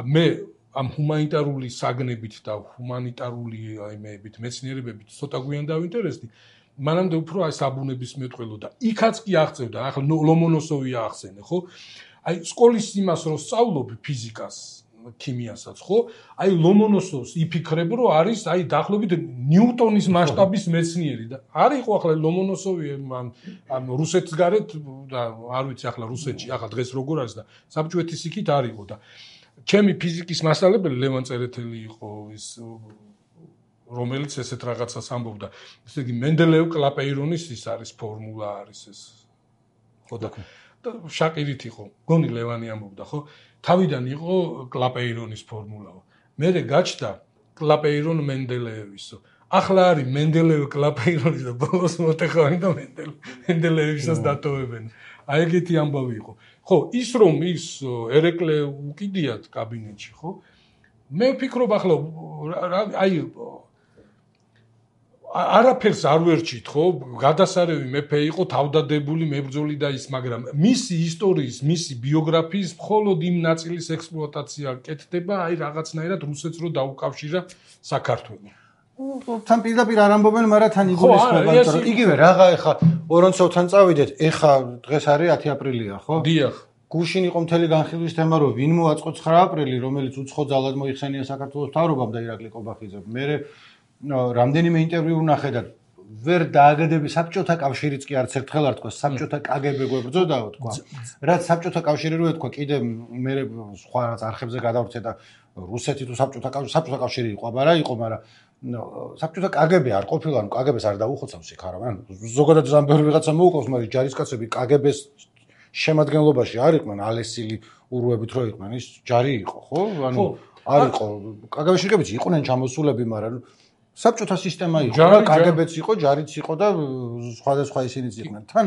მე ამ ჰუმანიტარული საგნებით და ჰუმანიტარული აიმეებით მეცნიერებებით ცოტა გვიან დავინტერესდი. მანამდე უფრო აი საბუნებისმეტყველო და იქაც კი აღწევდა, ახლა ლომონოსოვი აღწენე, ხო? აი სკოლის იმას რომ სწავლობ ფიზიკას, ქიმიასაც, ხო? აი ლომონოსოვს იფიქრებ რომ არის აი დაახლოებით ნიუტონის მასშტაბის მეცნიერი და არ იყო ახლა ლომონოსოვი ამ რუსეთის გარეთ და არ ვიცი ახლა რუსეთში, ახლა დღეს როგორ არის და საბჭოეთის იქით არ იყო და ჩემი ფიზიკის მასწავლებელი ლევან წერეთელი იყო ის რომელიც ესეთ რაღაცას ამბობდა. ესე იგი მენდელეევ კლაპეირონის ის არის ფორმულა არის ეს. ხო და შაკირით იყო. გონი ლევანი ამბობდა, ხო? თავიდან იყო კლაპეირონის ფორმულაო. მერე გაჩნდა კლაპეირონ მენდელეევისო. ახლა არის მენდელეევ კლაპეირონის და ბოლოს მოტეხავენ და მენდელეევისას დატოვებენ. აი ეგეთი ამბავი იყო. ხო, ის რომ ის ერეკლე უკიდიათ კაბინეტში, ხო? მე ვფიქრობ ახლა აი არაფერს არ ვერჩით, ხო? გადასარევი მეფე იყო, თავდადებული, მებრძოლი და ის, მაგრამ მისი ისტორიის, მისი ბიოგრაფიის მხოლოდ იმ ნაწილის ექსპლუატაცია კეთდება, აი რაღაცნაირად რუსეთს რო დაუკავშირა საქართველოს. თან პირდაპირ არ ამბობენ, მაგრამ თან იგულისხმება, რომ იგივე რაღა ეხა ორონცოვთან წავიდეთ, ეხა დღეს არის 10 აპრილია, ხო? დიახ. გუშინ იყო მთელი განხილვის თემა, რომ ვინ მოაწყო 9 აპრილი, რომელიც უცხო ძალად მოიხსენია საქართველოს მთავრობამ და ირაკლი ყობახიძემ. მე რამდენიმე ინტერვიუ ვნახე და ვერ დააგდები საბჭოთა კავშირიც კი არც ერთხელ არ თქვა, საბჭოთა კგბ გვებრძოდაო თქვა. რაც საბჭოთა კავშირი რო ეთქვა, კიდე მე სხვა რაღაც არხებზე გადავრცე და რუსეთი თუ საბჭოთა კავშირი იყო, აბარა იყო, მაგრამ საბჭოთა კგბ არ ყოფილა, ანუ კგბ-ს არ დაუხოცავს იქ არა, ან ზოგადად ძალიან ბევრი ვიღაცა მოუყავს, მაგრამ ჯარისკაცები კგბ-ს შემადგენლობაში არ იყვნენ ალესილი ურუებით რო იყვნენ, ის ჯარი იყო, ხო? ანუ არ იყო. კგბ-ში რკებიც იყვნენ ჩამოსულები, მაგრამ საბჭოთა სისტემა იყო, კგბ-ც იყო, ჯარიც იყო და სხვადასხვა ისინიც იყვნენ. თან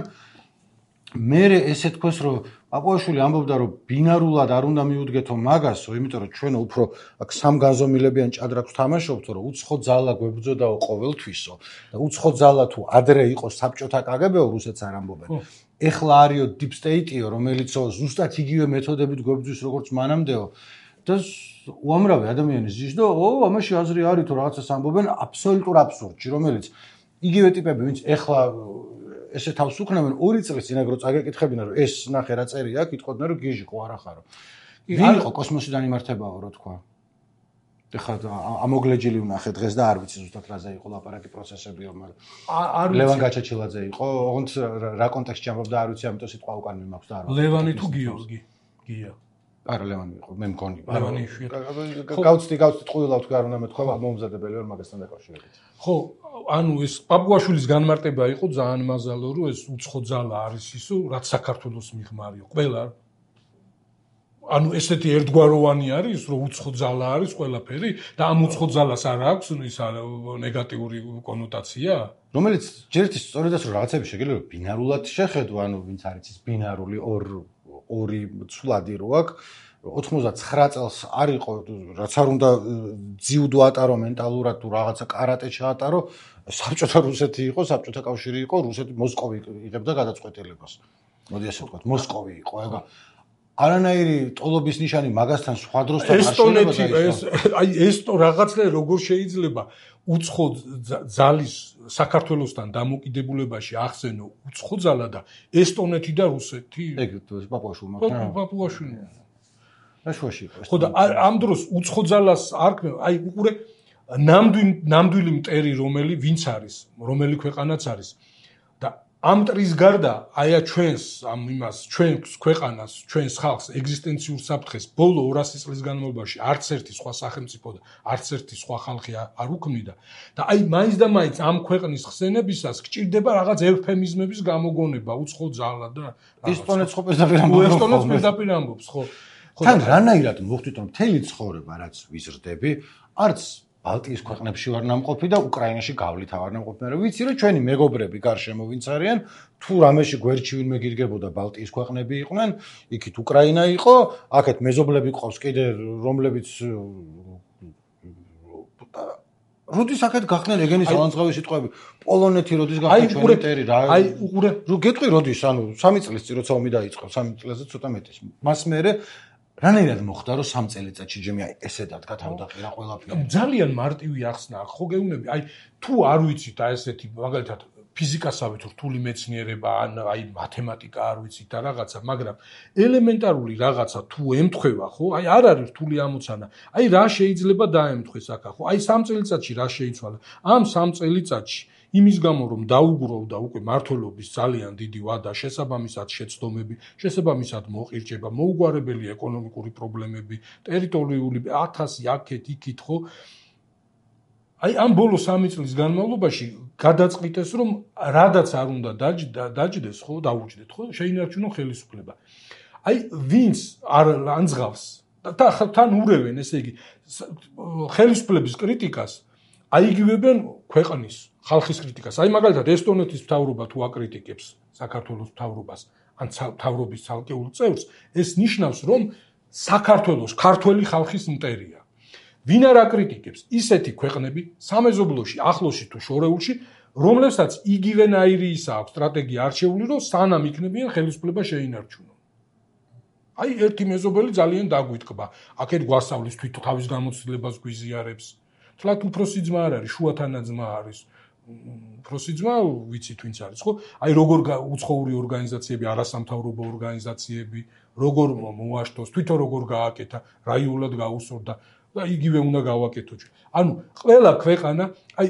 მე ესე თქოს, რომ აპოაშვილი ამბობდა, რომ ბინარულად არ უნდა მიუდგეთო მაგასო, იმიტომ რომ ჩვენ უფრო აქ სამგანზომილებიან ჭადრაკს თამაშობთ, რომ უცხო ძალა გვებრძოდაო ყოველთვისო და უცხო ძალა თუ ადრე იყო საბჭოთა კგბ-ო, რუსეთს არ ამბობენ. ეხლა არისო deep state-იო, რომელიც ზუსტად იგივე მეთოდებით გვებძვის, როგორც მანამდეო და უამრავი ადამიანი ზის და ამაში აზრი არის თუ რაღაცას ამბობენ აბსოლუტურ აბსურდში, რომელიც იგივე ტიპები, ვინც ეხლა ესე თავს უქნებენ 2 წლის წინ აგრო წაგეკითხებინა რომ ეს ნახე რა წერია, კითხოდნენ რომ გიჟი ხო არა ხარო. ვინ იყო კოსმოსიდან იმართებაო რო თქვა. ეხლა ამოგლეჯილი ვნახე დღეს და არ ვიცი ზუსტად რაზე იყო ლაპარაკი პროცესებიო, მაგრამ ლევან გაჩაჩილაძე იყო, ოღონდ რა კონტექსტში ამბობდა არ ვიცი, ამიტომ სიტყვა უკან მიმაქვს და არ ვიცი. ლევანი თუ გიორგი? გია. არა ლევანი იყო, მე მგონი. ლევანი გავწდი ტყუილავთ არ უნდა მეთქვა, მომზადებელი ვარ მაგასთან დაკავშირებით. ხო, ანუ ეს პაპუაშვილის განმარტება იყო ძალიან მაზალო, რომ ეს უცხო ძალა არის ისო, რაც საქართველოს მიღმარია. ყველა ანუ ესეთი ერთგვაროვანი არის, რომ უცხო ძალა არის ყველაფერი და ამ უცხო ძალას არ აქვს ის ნეგატიური კონოტაცია? რომელიც ჯერთვის სწორედაც რომ რაღაცები შეგიძლია ბინარულად შეხედო, ანუ ვინც არის ის ბინარული ორი ცვლადი რო აქვს 99 წელს არ იყო რაც არ უნდა ძიუდო ატარო მენტალურად თუ რაღაცა კარატე ჩაატარო საბჭოთა რუსეთი იყო საბჭოთა კავშირი იყო რუსეთი მოსკოვი იღებდა გადაწყვეტილებას მოდი ასე ვთქვათ მოსკოვი იყო ეგა არანაირი ტოლობის ნიშანი მაგასთან სხვა დროსთან არ შეიძლება აი ეს რაღაცა როგორ შეიძლება უცხო ძალის საქართველოსთან დამოკიდებულებაში ახსენო უცხო ძალა და ესტონეთი და რუსეთი ეგ პაპუაშვილი მაგრამ პაპუაშვილი რაშუაში იყო ხო და ამ დროს უცხო ძალას არქმევ აი უყურე ნამდვილი მტერი ვინც არის რომელი ქვეყანაც არის და ამ მტრის გარდა აია ჩვენს ამ იმას ჩვენს ქვეყანას ჩვენს ხალხს ეგზისტენციურ საფრთხეს ბოლო 200 წლის განმავლობაში არც ერთი სხვა სახელმწიფო და არც ერთი სხვა ხალხი არ უქმნიდა და აი მაინც და მაინც ამ ქვეყნის ხსენებისას გჭირდება რაღაც ევფემიზმების გამოგონება უცხო ძალა და ესტონეთს ხო პირდაპირ ამბობს ხო თან რანაირად მოხდით რომ მთელი ცხოვრება რაც ვიზრდები არც ბალტიის ქვეყნებში ვარ ნამყოფი და უკრაინაში გავლით არ ნამყოფი მაგრამ ვიცი რომ ჩვენი მეგობრები გარშემო ვინც არიან თუ რამეში გვერდში ვინმე გირგებოდა ბალტიის ქვეყნები იყვნენ იქით უკრაინა იყო აქეთ მეზობლები ყავს კიდე რომლებიც როდის აქეთ გახდნენ ეგენის ალანძღავი სიტყვები პოლონეთი როდის გახდა ჩვენი ტერი რა აი უყურე რო გეტყვი როდის ანუ 3 წლის წინ როცა ომი დაიწყო 3 წელზე ცოტა მეტის მას მერე რანაირად მოხდა რომ 3 წელიწადში ჯემი აი ესე დადგა თავდაყირა ყველაფერი ძალიან მარტივი ახსნა ხო გეუბნები აი თუ არ ვიცით აი ესეთი მაგალითად ფიზიკასავით რთული მეცნიერება ან აი მათემატიკა არ ვიცით და რაღაცა მაგრამ ელემენტარული რაღაცა თუ ემთხვევა ხო აი არ არის რთული ამოცანა აი რა შეიძლება დაემთხვეს აქ ხო აი 3 წელიწადში რა შეიცვალა ამ 3 წელიწადში იმის გამო რომ დაუგროვდა უკვე მართლობის ძალიან დიდი ვადა შესაბამისად შეცდომები შესაბამისად მოყირჭება მოუგვარებელი ეკონომიკური პრობლემები ტერიტორიული 1000 აქეთ იქით ხო აი ამ ბოლო 3 წლის განმავლობაში გადაწყვიტეს რომ რადაც არ უნდა დაჯდეს ხო დაუჯდეთ ხო შეინარჩუნო ხელისუფლება აი ვინც არ ანძღავს და თან ურევენ ესე იგი ხელისუფლების კრიტიკას აიგივებენ ქვეყნის ხალხის კრიტიკას. აი მაგალითად ესტონეთის მთავრობა თუ აკრიტიკებს საქართველოს მთავრობას ან მთავრობის ცალკეულ წევრს, ეს ნიშნავს, რომ საქართველოს ქართველი ხალხის მტერია. ვინ არ აკრიტიკებს ისეთი ქვეყნები სამეზობლოში, ახლოსში თუ შორეულში, რომლებსაც იგივენაირი ისა აქვს სტრატეგია არჩეული, რომ სანამ იქნებიან ხელისუფლება შეინარჩუნონ. აი ერთი მეზობელი ძალიან დაგვიტკბა. აქეთ გვასწავლის თვითონ თავის გამოცდილებას გვიზიარებს. თლათ უფროსი ძმა არ არის, შუათანა ძმა არის. უფროსი ძმა ვიცით ვინც არის, ხო? აი როგორ უცხოური ორგანიზაციები, არასამთავრობო ორგანიზაციები, როგორ მოაშთოს, თვითონ როგორ გააკეთა, რაიულად გაუსწორდა და იგივე უნდა გავაკეთო ჩვენ. ანუ ყველა ქვეყანა, აი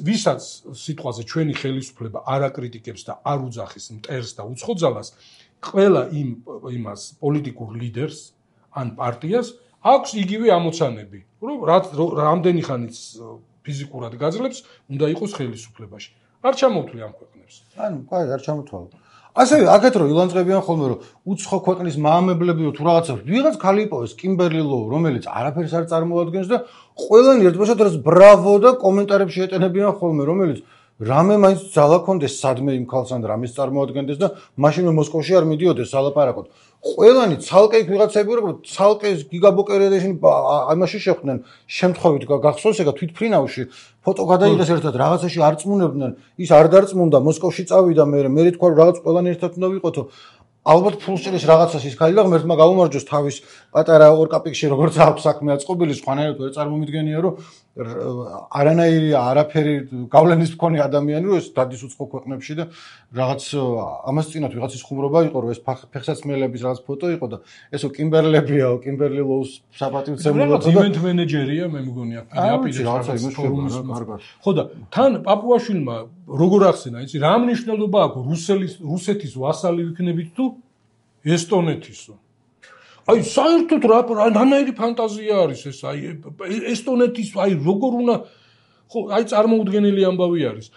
ვისაც სიტყვაზე ჩვენი ხელისუფლება არ აკრიტიკებს და არ უძახის მტერს და უცხო ძალას, ყველა იმას პოლიტიკურ ლიდერს ან პარტიას აქვს იგივე ამოცანები, რომ რამდენი ხანიც ფიზიკურად გაძლებს, უნდა იყოს ხელისუფლებაში. არ ჩამოვთვლი ამ ქვეყნებს. ანუ, კაი, არ ჩამოთვალო. ასევე აქეთ რომ ილანძღებიან ხოლმე რომ უცხო ქვეყნის მაამებლები თუ რაღაცა ვიღაც ხალი იპოვეს კიმბერლი ლოუ, რომელიც არაფერს არ წარმოადგენს და ყველანი ერთბაშად რაც ბრავო და კომენტარებში ეტენებიან ხოლმე, რომელიც რამე მაინც ძალა ქონდეს სადმე იმ ქალს ან რამეს წარმოადგენდეს და მაშინვე მოსკოვში არ მიდიოდეს სალაპარაკოდ. ყველანი ცალკე ვიღაცები ვიყო, ცალკე გიგაბოკერედაში ამაში შეხვდნენ შემთხვევით გახსოვს ეგა თვითფრინავში ფოტო გადაიღეს ერთად რაღაცაში არ წმუნებდნენ, ის არ დარწმუნდა, მოსკოვში წავიდა მე თქვა რომ რაღაც ყველანი ერთად უნდა ვიყოთო. ალბათ ფულსჭირის რაღაცას ის ქალი და ღმერთმა გაუმარჯოს თავის პატარა ორკაპიკში როგორც აქვს საქმე აწყობილი სხვანაირად ვერ წარმომიდგენია რომ არანაირი არაფერი გავლენის მქონე ადამიანი რომ ეს დადის უცხო ქვეყნებში და რაღაც ამას წინათ ვიღაცის ხუმრობა იყო რომ ეს ფეხსაცმელების რაღაც ფოტო იყო და ესო კიმბერლებიაო კიმბერლი ლოუს საპატივცემულო და ივენთ მენეჯერია მე მგონი აპირებს რაღაცა იმუშავება კარგად ხო და თან პაპუაშვილმა როგორ ახსენა იცი რა მნიშვნელობა აქვს რუსეთის ვასალი ვიქნებით თუ ესტონეთისო აი საერთოდ რანაირი ფანტაზია არის ეს აი ესტონეთის აი როგორ უნდა ხო აი წარმოუდგენელი ამბავი არის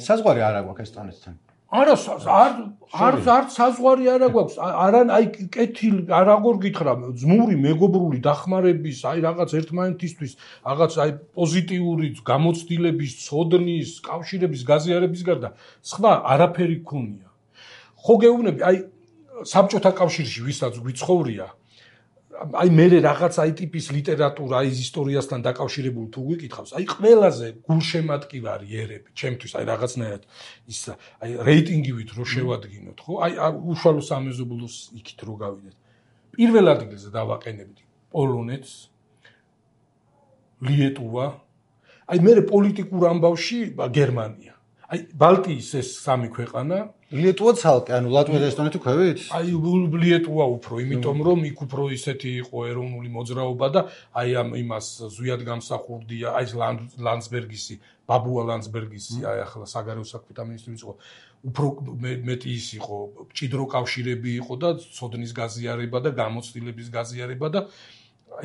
საზღვარი არ აქვს ესტონეთთან არა არ საზღვარი არ აქვს არან აი კეთილი არაგორ გითხრა ძმური მეგობრული დახმარების აი რაღაც ერთმანეთისთვის რაღაც აი პოზიტიური გამოცდილების ცოდნის კავშირების გაზიარების გარდა სხვა არაფერი ქონია ხო გეუბნები აი საბჭოთა კავშირში ვისაც გვიცხოვრია აი მე რაღაც აი ტიპის ლიტერატურა აი ისტორიასთან დაკავშირებული თუ გიკითხავს აი ყველაზე გულშემატკივარი ერები ჩემთვის აი რაღაცნაირად ის აი რეიტინგივით რო შევადგინოთ ხო აი უშუალო სამეზობლოს იქით რო გავიდეთ პირველ ადგილზე დავაყენებდი პოლონეთს ლიეტუვა აი მე პოლიტიკურ ამბავში გერმანია აი ბალტიის ეს სამი ქვეყანა ლიეტუვა ცალკე ანუ ლატვია და ესტონეთი ქვევით აი ლიეტუვა უფრო იმიტომ რომ იქ უფრო ისეთი იყო ეროვნული მოძრაობა და აი ამ იმას ზვიად გამსახურდია აი ლანდსბერგისი ბაბუა ლანდსბერგისი აი ახლა საგარეო საქმეთა მინისტრიც იყო უფრო მეტი ის იყო მჭიდრო კავშირები იყო და ცოდნის გაზიარება და გამოცდილების გაზიარება და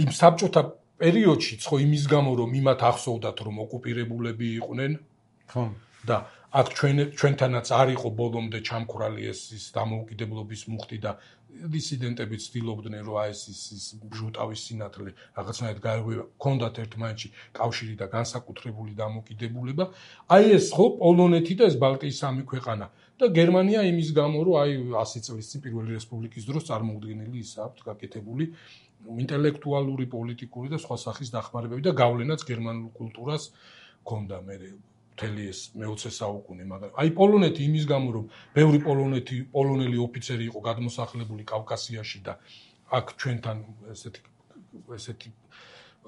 იმ საბჭოთა პერიოდშიც ხო იმის გამო რომ იმათ ახსოვდათ რომ ოკუპირებულები იყვნენ ხო და აქ ჩვენთანაც არ იყო ბოლომდე ჩამქრალი ის დამოუკიდებლობის მუხტი და დისიდენტები ცდილობდნენ რომ აი ეს ჟუტავის სინათლე რაღაცნაირად გაეღვივა კონდათ ერთმანეთში კავშირი და განსაკუთრებული დამოუკიდებლობა აი ეს ხო პოლონეთი და ეს ბალტიის სამი ქვეყანა და გერმანია იმის გამო რომ აი 100 წლის წინ პირველი რესპუბლიკის დროს წარმოუდგენელი ის აქვს გაკეთებული ინტელექტუალური პოლიტიკური და სხვა სახის დახმარებები და გავლენაც გერმანულ კულტურას ჰქონდა მე მთელი ეს მე-20 საუკუნე, მაგრამ აი პოლონეთი იმის გამო რომ ბევრი პოლონელი ოფიცერი იყო გადმოსახლებული კავკასიაში და აქ ჩვენთან ესეთი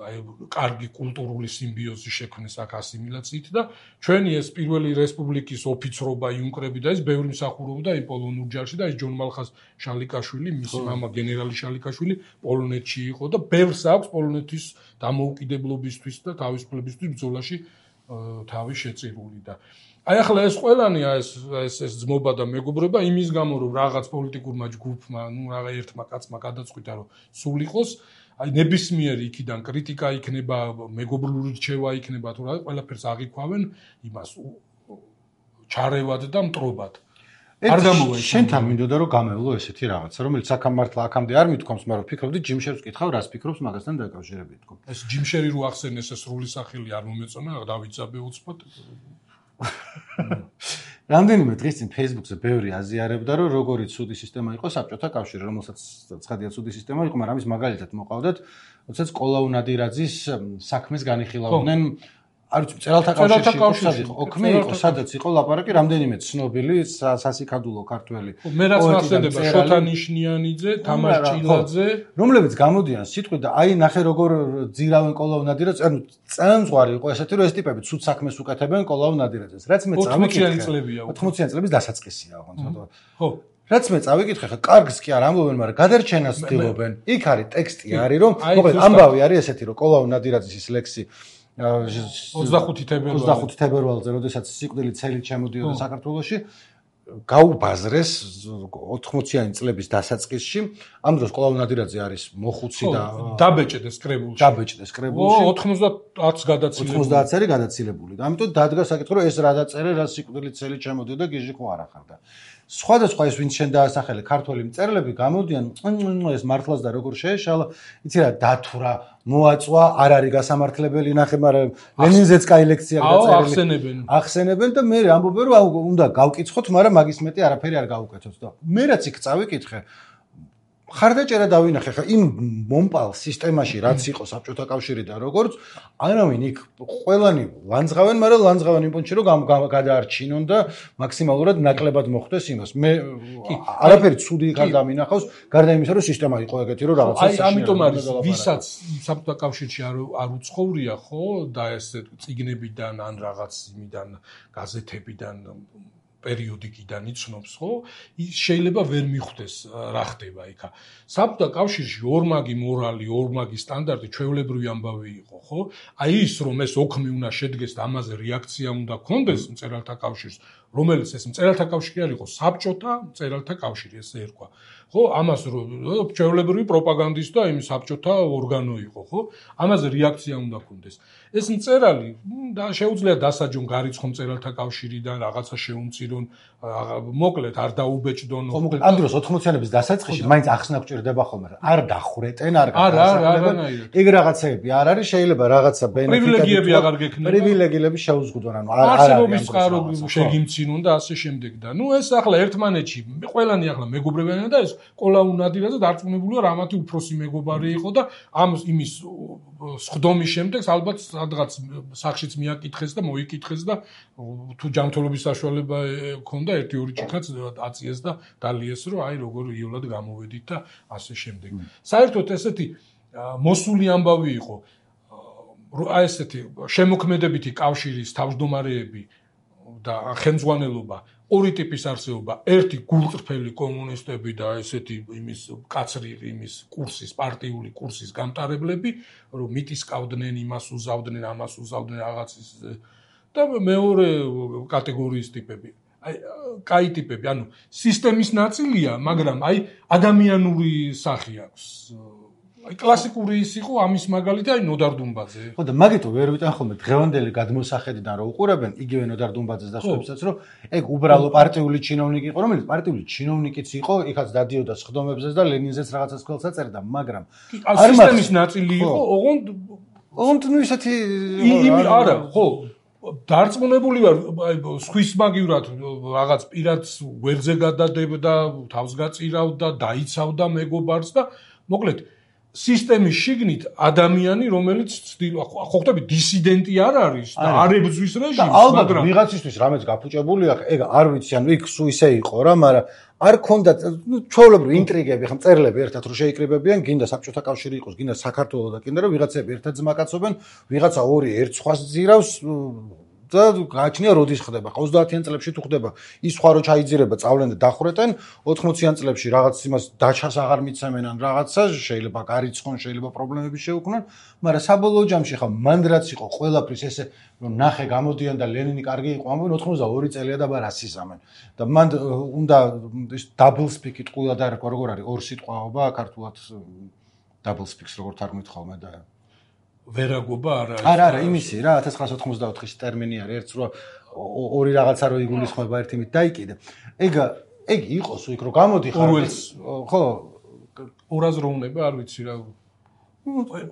აი კარგი კულტურული სიმბიოზი შექმნეს აქ ასიმილაციით და ჩვენი ეს პირველი რესპუბლიკის ოფიცრობა იუნკრები და ეს ბევრი მსახურობდა აი პოლონურ ჯარში და ეს ჯონ მალხას შალიკაშვილი მისი მამა გენერალი შალიკაშვილი პოლონეთში იყო და ბევრს აქვს პოლონეთის დამოუკიდებლობისთვის და თავისუფლებისთვის ბრძოლაში თავი შეწირული და აი ახლა ეს ყველანი ეს ძმობა და მეგობრობა იმის გამო რომ რაღაც პოლიტიკურმა ჯგუფმა ნუ რაღა ერთმა კაცმა გადაწყვიტა რომ სულ იყოს აი ნებისმიერი იქიდან კრიტიკა იქნება მეგობრული რჩევა იქნება თუ რა ყველაფერს აღიქვავენ იმას ჩარევად და მტრობად არ გამოვა შენთან მინდოდა რომ გამევლო ესეთი რაღაცა რომელიც აქამდე აქამდე არ მithქვამს მაგრამ ვფიქრობდი ჯიმშერს ვკითხავ რას ფიქრობს მაგასთან დაკავშირებით თქო ეს ჯიმშერი რო ახსენეს ეს სრული სახელი არ მომეწონა დავიძაბე უცბად რამდენიმე დღის წინ Facebook-ზე ბევრი აზიარებდა რომ როგორი ცუდი სისტემა იყო საბჭოთა კავშირი რომელსაც ცხადია ცუდი სისტემა იყო მაგრამ ამის მაგალითად მოყავდათ როდესაც კოლაუ ნადირაძის საქმეს განიხილავდნენ არ ვიცი წერალთა კავშირში იყო ოქმე იყო სადაც იყო ლაპარაკი რამდენიმე ცნობილი სასიკადულო ქართველი მე რაც მასწავლებდა შოთა ნიშნიანიძე თამარ ჭილაძე რომლებიც გამოდიან სიტყვით და აი ნახე როგორ ძირავენ კოლაუ ნადირაძეს ანუ წამძღვარი იყო ესეთი რომ ეს ტიპები ცუდ საქმეს უკეთებენ კოლაუ ნადირაძეს რაც მე წავიკითხე 80-იანი წლების დასაწყისია ხო რაც მე წავიკითხე ხა კარგს კი არ ამბობენ მაგრამ გადარჩენას ცდილობენ იქ არის ტექსტი არის რომ მოკლედ ამბავი არის ესეთი რომ კოლაუ ნადირაძის ის ლექსი 25 თებერვალზე, როდესაც სიკვდილით ცელით შემოდიოდა საქართველოში, გაუბაზრეს 80-იანი წლების დასაწყისში. ამ დროს კოლაუ ნადირაძე არის მოხუცი და დაბეჭდეს კრებულში. 90-ს გადაცილებული. და ამიტომ დადგა საკითხი, რომ ეს რა დაწერე, რა სიკვდილით ცელით შემოდიოდა, გიჟი ხო არ ახარდა. სხვადასხვა ეს ვინც შენ დაასახელე ქართველი მწერლები გამოდიან ეს მართლაც და როგორ შეეშალა იცი რა დათვრა მოაწვა არ არის გასამართლებელი ნახე მაგრამ ლენინზეც კაი ლექცია გაწერილი ახსენებენ და მე ამბობენ რომ უნდა გავკითხოთ მაგრამ მაგის მეტი არაფერი არ გავუკეთოთ და მე რაც იქ წავიკითხე ხარდაჭერა დავინახე ხა იმ მომპალ სისტემაში რაც იყო საბჭოთა კავშირიდან როგორც არავინ იქ ყველანი ლანძღავენ, მაგრამ ლანძღავენ იმ პუნქტში რომ გადაარჩინონ და მაქსიმალურად ნაკლებად მოხდეს იმას. მე არაფერი ცუდი იქ არ დამინახავს, გარდა იმისა რომ სისტემა იყო ეგეთი რომ რაღაცა აი ამიტომ არის ვისაც საბჭოთა კავშირში არ უცხოვრია ხო და ეს წიგნებიდან ან რაღაც იმიდან გაზეთებიდან პერიოდიკიდან იცნობს ხო ის შეიძლება ვერ მიხვდეს რა ხდება იქა საბჭოთა კავშირში ორმაგი მორალი ორმაგი სტანდარტი ჩვეულებრივი ამბავი იყო ხო აი ის რომ ეს ოქმი უნდა შედგეს და ამაზე რეაქცია უნდა ქონდეს მწერალთა კავშირს რომელიც ეს მწერალთა კავშირი არ იყო საბჭოთა მწერალთა კავშირი ესე ერქვა ხო ამას რომ ჩვეულებრივი პროპაგანდის და იმ საბჭოთა ორგანო იყო ხო ამაზე რეაქცია უნდა ქონდეს ეს მწერალი და შეუძლია დასაჯონ გარიცხო მწერალთა კავშირიდან რაღაცა შეუმცირონ მოკლედ არ დაუბეჭდონ ხო მოკლედ ამ დროს 80-იანების დასაწყისში მაინც ახსნა გჭირდება ხოლმე არ დახვრეტენ არ გადასახლებენ ეგ რაღაცეები არ არის შეიძლება რაღაცა პრივილეგიები აღარ გექნება პრივილეგიები შეუზღუდონ ანუ არ არსებობის წყარო შეგიმცინონ და ასე შემდეგ და ნუ ეს ახლა ერთმანეთში ყველანი ახლა მეგობრებიანია და ეს კოლაუნადირა და დარწმუნებულია რამათი უფროსი მეგობარი იყო და ამ იმის სხდომის შემდეგ ალბათ სადღაც სახშიც მიაკითხეს და მოიკითხეს და თუ ჯანმრთელობის საშუალება ქონდა 1-2 ჭიქაც აწიეს და დალიეს რომ აი როგორ იოლად გამოვედით და ასე შემდეგ. საერთოდ ესეთი მოსული ამბავი იყო აი ესეთი შემოქმედებითი კავშირის თავმჯდომარეები და ხელმძღვანელობა ორი ტიპის არსებობა ერთი გულწრფელი კომუნისტები და ესეთი იმის კაცრი იმის კურსის პარტიული კურსის გამტარებლები რომ მიტისკავდნენ იმას უზავდნენ ამას უზავდნენ რაღაცის და მეორე კატეგორიის ტიპები აი კაი ტიპები ანუ სისტემის ნაწილია მაგრამ აი ადამიანური სახე აქვს აი კლასიკური ის იყო ამის მაგალითი აი ნოდარ დუმბაძე ხო და მაგითო ვერ ვიტან ხოლმე დღევანდელი გადმოსახედიდან რომ უყურებენ იგივე ნოდარ დუმბაძეს და სხვებსაც რომ ეგ უბრალო პარტიული ჩინოვნიკი იყო რომელიც პარტიული ჩინოვნიკიც იყო იქაც დადიოდა სხდომებზეც და ლენინზეც რაღაცას ქველს აწერდა მაგრამ სისტემის ნაწილი იყო ოღონდ ნუ ისეთი იმი არა ხო დარწმუნებული ვარ აი სხვისმაგივრად რაღაც პირადს გვერდზე გადადებდა თავს გაწირავდა დაიცავდა მეგობარს და მოკლედ სისტემის შიგნით ადამიანი რომელიც ხო ხტები დისიდენტი არ არის და არ ებრძვის რეჟიმს მაგრამ ვიღაცისთვის რამეც გაფუჭებული აქვს ეგ არ ვიცი ანუ იქ სულ ისე იყო რა მაგრამ არ ქონდა ნუ ჩვეულებრივი ინტრიგები ხა მწერლები ერთად რო შეიკრიბებიან გინდა საბჭოთა კავშირი იყოს გინდა საქართველო და გინდა რომ ვიღაცები ერთად ძმაკაცობენ ვიღაცა ორი ერთ სხვას ძირავს და გააჩნია როდის ხდება 30-იან წლებში თუ ხდება ის სხვა რო ჩაიძირება წავლენ და დახვრეტენ 80-იან წლებში რაღაც იმას დაჩას აღარ მიცემენ ან რაღაცა შეიძლება გარიცხონ შეიძლება პრობლემები შეუქმნან მაგრამ საბოლოო ჯამში ხა მანდ რაც იყო ყველაფრის ესე რომ ნახე გამოდიან და ლენინი კარგი იყო ამბობენ 82 წელია და ბარ ასიზამენ და მანდ უნდა ეს დაბლ სპიკი ტყუილად არ რქვა როგორ არის ორ სიტყვაობა ქართულად დაბლ სპიქს როგორ თარგმნით ხოლმე და ვერაგობა არა იმისი რა 1984-ის ტერმინი არის ერთს რო ორი რაღაცა რო იგულისხმება ერთი მით დაიკიდე ეგ იყოს იქ რო გამოდიხარ ხო ორაზროვნება არ ვიცი რა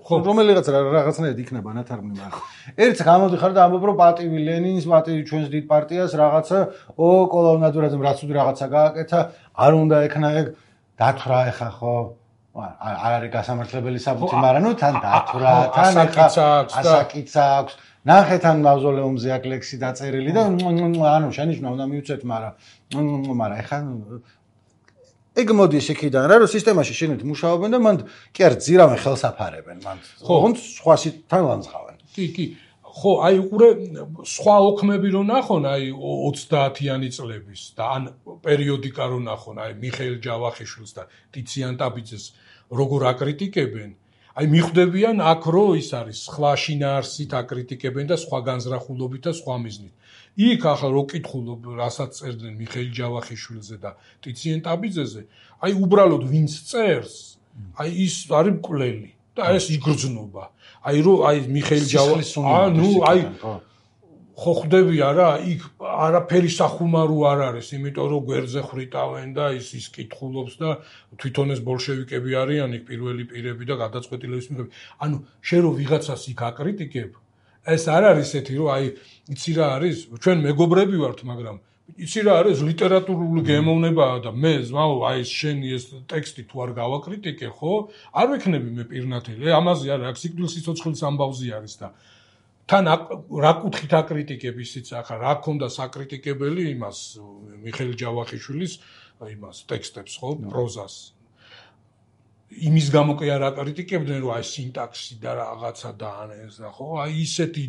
ხო რომელიღაც რაღაცნაირად იქნება ნათარგმნი მაგრამ ერთს გამოდიხარ და ამბობ რომ პატივი ლენინს პატივი ჩვენს დიდ პარტიას რაღაცა კოლაუნადურაძემ რაც უდ რაღაცა გააკეთა არ უნდა ექნა ეგ დათვრა ეხა ხო არ არის გასამართლებელი საბუთი, მაგრამ ნუ თან დათვრა, თან ასაკიცა აქვს. ნახეთან მავზოლეუმზე აქ ლექსი დაწერილი და ანუ შენიშნა უნდა მივცეთ, მაგრამ ეხა ეგ მოდის იქიდან რა, რომ სისტემაში შენით მუშაობენ და მან კი არ ძირავენ ხელსაფარებენ, მან ოღონდ სხვასთან ლანძღავენ. კი. ხო, აი უყურე სხვა ოქმები რო ნახონ, აი 30-იანი წლების და ან პერიოდიკა რო ნახონ, აი მიხეილ ჯავახიშვილს და ტიციან ტაბიძეს როგორ აკრიტიკებენ, აი მიხვდებიან აქ რო ის არის სხვა შინაარსით აკრიტიკებენ და სხვა განზრახულობით და სხვა მიზნით. იქ ახლა რო კითხულობ, რასაც წერდნენ მიხეილ ჯავახიშვილზე და ტიციან ტაბიძეზე, აი უბრალოდ ვინც წერს, აი ის არის მკვლელი და ეს იგრძნობა. აი რო აი მიხეილ ჯავახიშვილს ნუ აი ხო ხდები არა იქ არაფერი სახუმარო არ არის იმიტომ რომ გვერდზე ხრიტავენ და ის კითხულობს და თვითონ ეს ბოლშევიკები არიან იქ პირველი პირები და გადაწყვეტილების მიღები ანუ შენ რო ვიღაცას იქ აკრიტიკებ ეს არ არის ესეთი რომ აი იცი რა არის ჩვენ მეგობრები ვართ მაგრამ იცი რა არის ლიტერატურული გემოვნებაა და მე ზმაო აი ეს შენი ეს ტექსტი თუ არ გავაკრიტიკე ხო არ ვიქნები მე პირნათელი ამაზე არა აქ სიკვდილის სიცოცხლის ამბავზე არის და თან რა კუთხით აკრიტიკებ ისიც ახლა რა ქონდა საკრიტიკებელი იმას მიხეილ ჯავახიშვილის იმას ტექსტებს ხო პროზას იმის გამო კი არ აკრიტიკებდნენ რომ აი სინტაქსი და რაღაცა და ეს და ხო აი ისეთი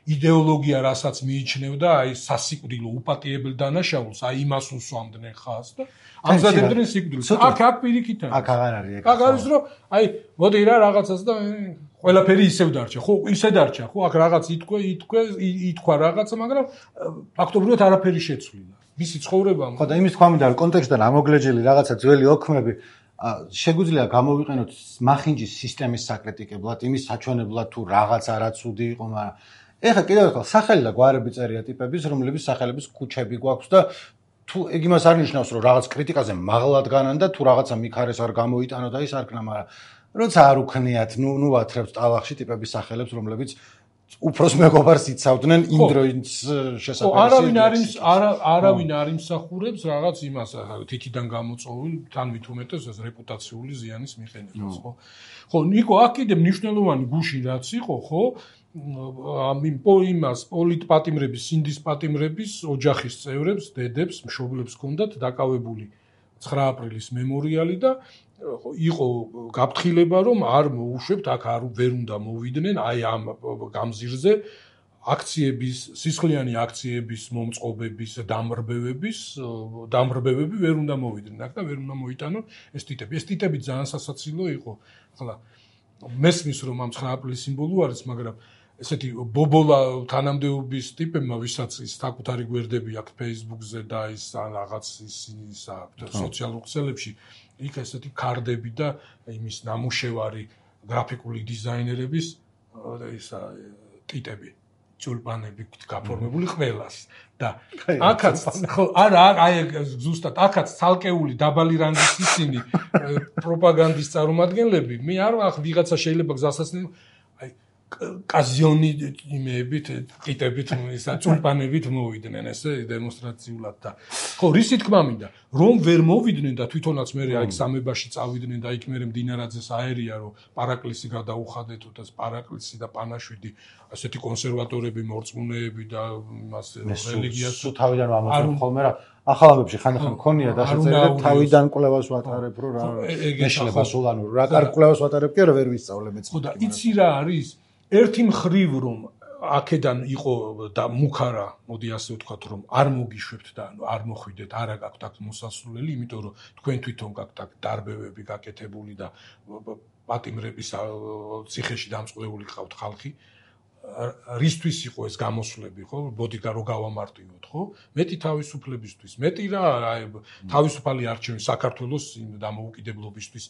იდეოლოგია რასაც მიიჩნევდა აი სასიკვდილო უპატიებელ დანაშაულს აი იმას უსვამდნენ ხაზს და ამზადებდნენ სიკვდილს აქ პირიქით არის აქ აღარ არის აქ არის რომ აი მოდი რა რაღაცას და ყველაფერი ისევ დარჩა ხო ისე დარჩა ხო აქ რაღაც ითქვა რაღაცა მაგრამ ფაქტობრივად არაფერი შეცვლილა მისი ცხოვრება ხო და იმის თქვა მინდა რომ კონტექსტიდან ამოგლეჯილი რაღაცა ძველი ოქმები შეგვიძლია გამოვიყენოთ მახინჯის სისტემის საკრიტიკებლად, იმის საჩვენებლად თუ რაღაც არაცუდი იყო, მაგრამ ეხლა კიდევ ერთხელ სახელი და გვარები წერია ტიპების, რომლების სახელების ქუჩები გვაქვს და თუ ეგ იმას არ ნიშნავს, რომ რაღაც კრიტიკაზე მაღლად განან და თუ რაღაცა მიქარეს არ გამოიტანო და ის არ ქნა, მაგრამ როცა არ უქნიათ, ნუ ვათრევთ ტალახში ტიპების სახელებს, რომლებიც უფროს მეგობარს იცავდნენ იმ დროის შესაძლებელი. არავინ არ იმსახურებს რაღაც იმას თითიდან გამოწვეულ თან მით უმეტეს ეს რეპუტაციული ზიანის მიყენებას, ხო? ხო, ნიკო, აქ კიდე მნიშვნელოვანი გუში რაც იყო, ხო? იმას პოლიტპატიმრების, სინდის პატიმრების ოჯახის წევრებს, დედებს, მშობლებს ჰქონდათ დაკავებული 9 აპრილის მემორიალი და იყო გაფრთხილება რომ არ მოუშვებთ აქ ვერ უნდა მოვიდნენ აი ამ გამზირზე აქციების სისხლიანი აქციების მომწყობების დამრბევები ვერ უნდა მოვიდნენ აქ და ვერ უნდა მოიტანონ ეს ტიტები ძალიან სასაცილო იყო ახლა მესმის რომ ამ 9 აპრილის სიმბოლო არის მაგრამ ესეთი ბობოლა თანამდებობის ტიპებმა ვისაც ის საკუთარი გვერდები აქვს Facebook-ზე და ის რაღაც ის სოციალურ ქსელებში იქ ესეთი კარდები და იმის ნამუშევარი გრაფიკული დიზაინერების ისა ტიტები ჯულბანები გაფორმებული ყველას და აქაც ხო არა აი ზუსტად აქაც ცალკეული დაბალი რანგის ისინი პროპაგანდის წარმომადგენლები მე არ ვახ ვიღაცა შეიძლება გზასაცნი აი კაზიონი იმეებით ტიტებით ისა ჯულბანებით მოვიდნენ ესე დემონსტრაციულად და ხო რისი თქმა მინდა რომ ვერ მოვიდნენ და თვითონაც მე აი სამებაში წავიდნენ და იქ მე მდინარაძეს აერია რომ პარაკლისი გადაუხადეთო და პარაკლისი და პანაშვიდი ასეთი კონსერვატორები მორწმუნეები და იმას რელიგიას სულ თავიდან ამოწმოთ ხოლმე რა ახალამებში ხანდახან მქონია დასაწერილი თავიდან კვლევას ვატარებ რომ რა მეშლება სულ ანუ რა კარგ კვლევას ვატარებ კი არა ვერ ვისწავლე მეც ხო და იცი რა არის ერთი მხრივ რომ აქედან იყო და მუქარა მოდი ასე ვთქვათ რომ არ მოგიშვებთ და არ მოხვიდეთ არა გაქვთ აქ მოსასვლელი იმიტომ რომ თქვენ თვითონ გაქვთ აქ დარბევები გაკეთებული და პატიმრების ციხეში დამწყვლეული ყავთ ხალხი რისთვის იყო ეს გამოსვლები ხო ბოდი რო გავამარტივოთ ხო მეტი თავისუფლებისთვის მეტი რა თავისუფალი არჩევანი საქართველოს დამოუკიდებლობისთვის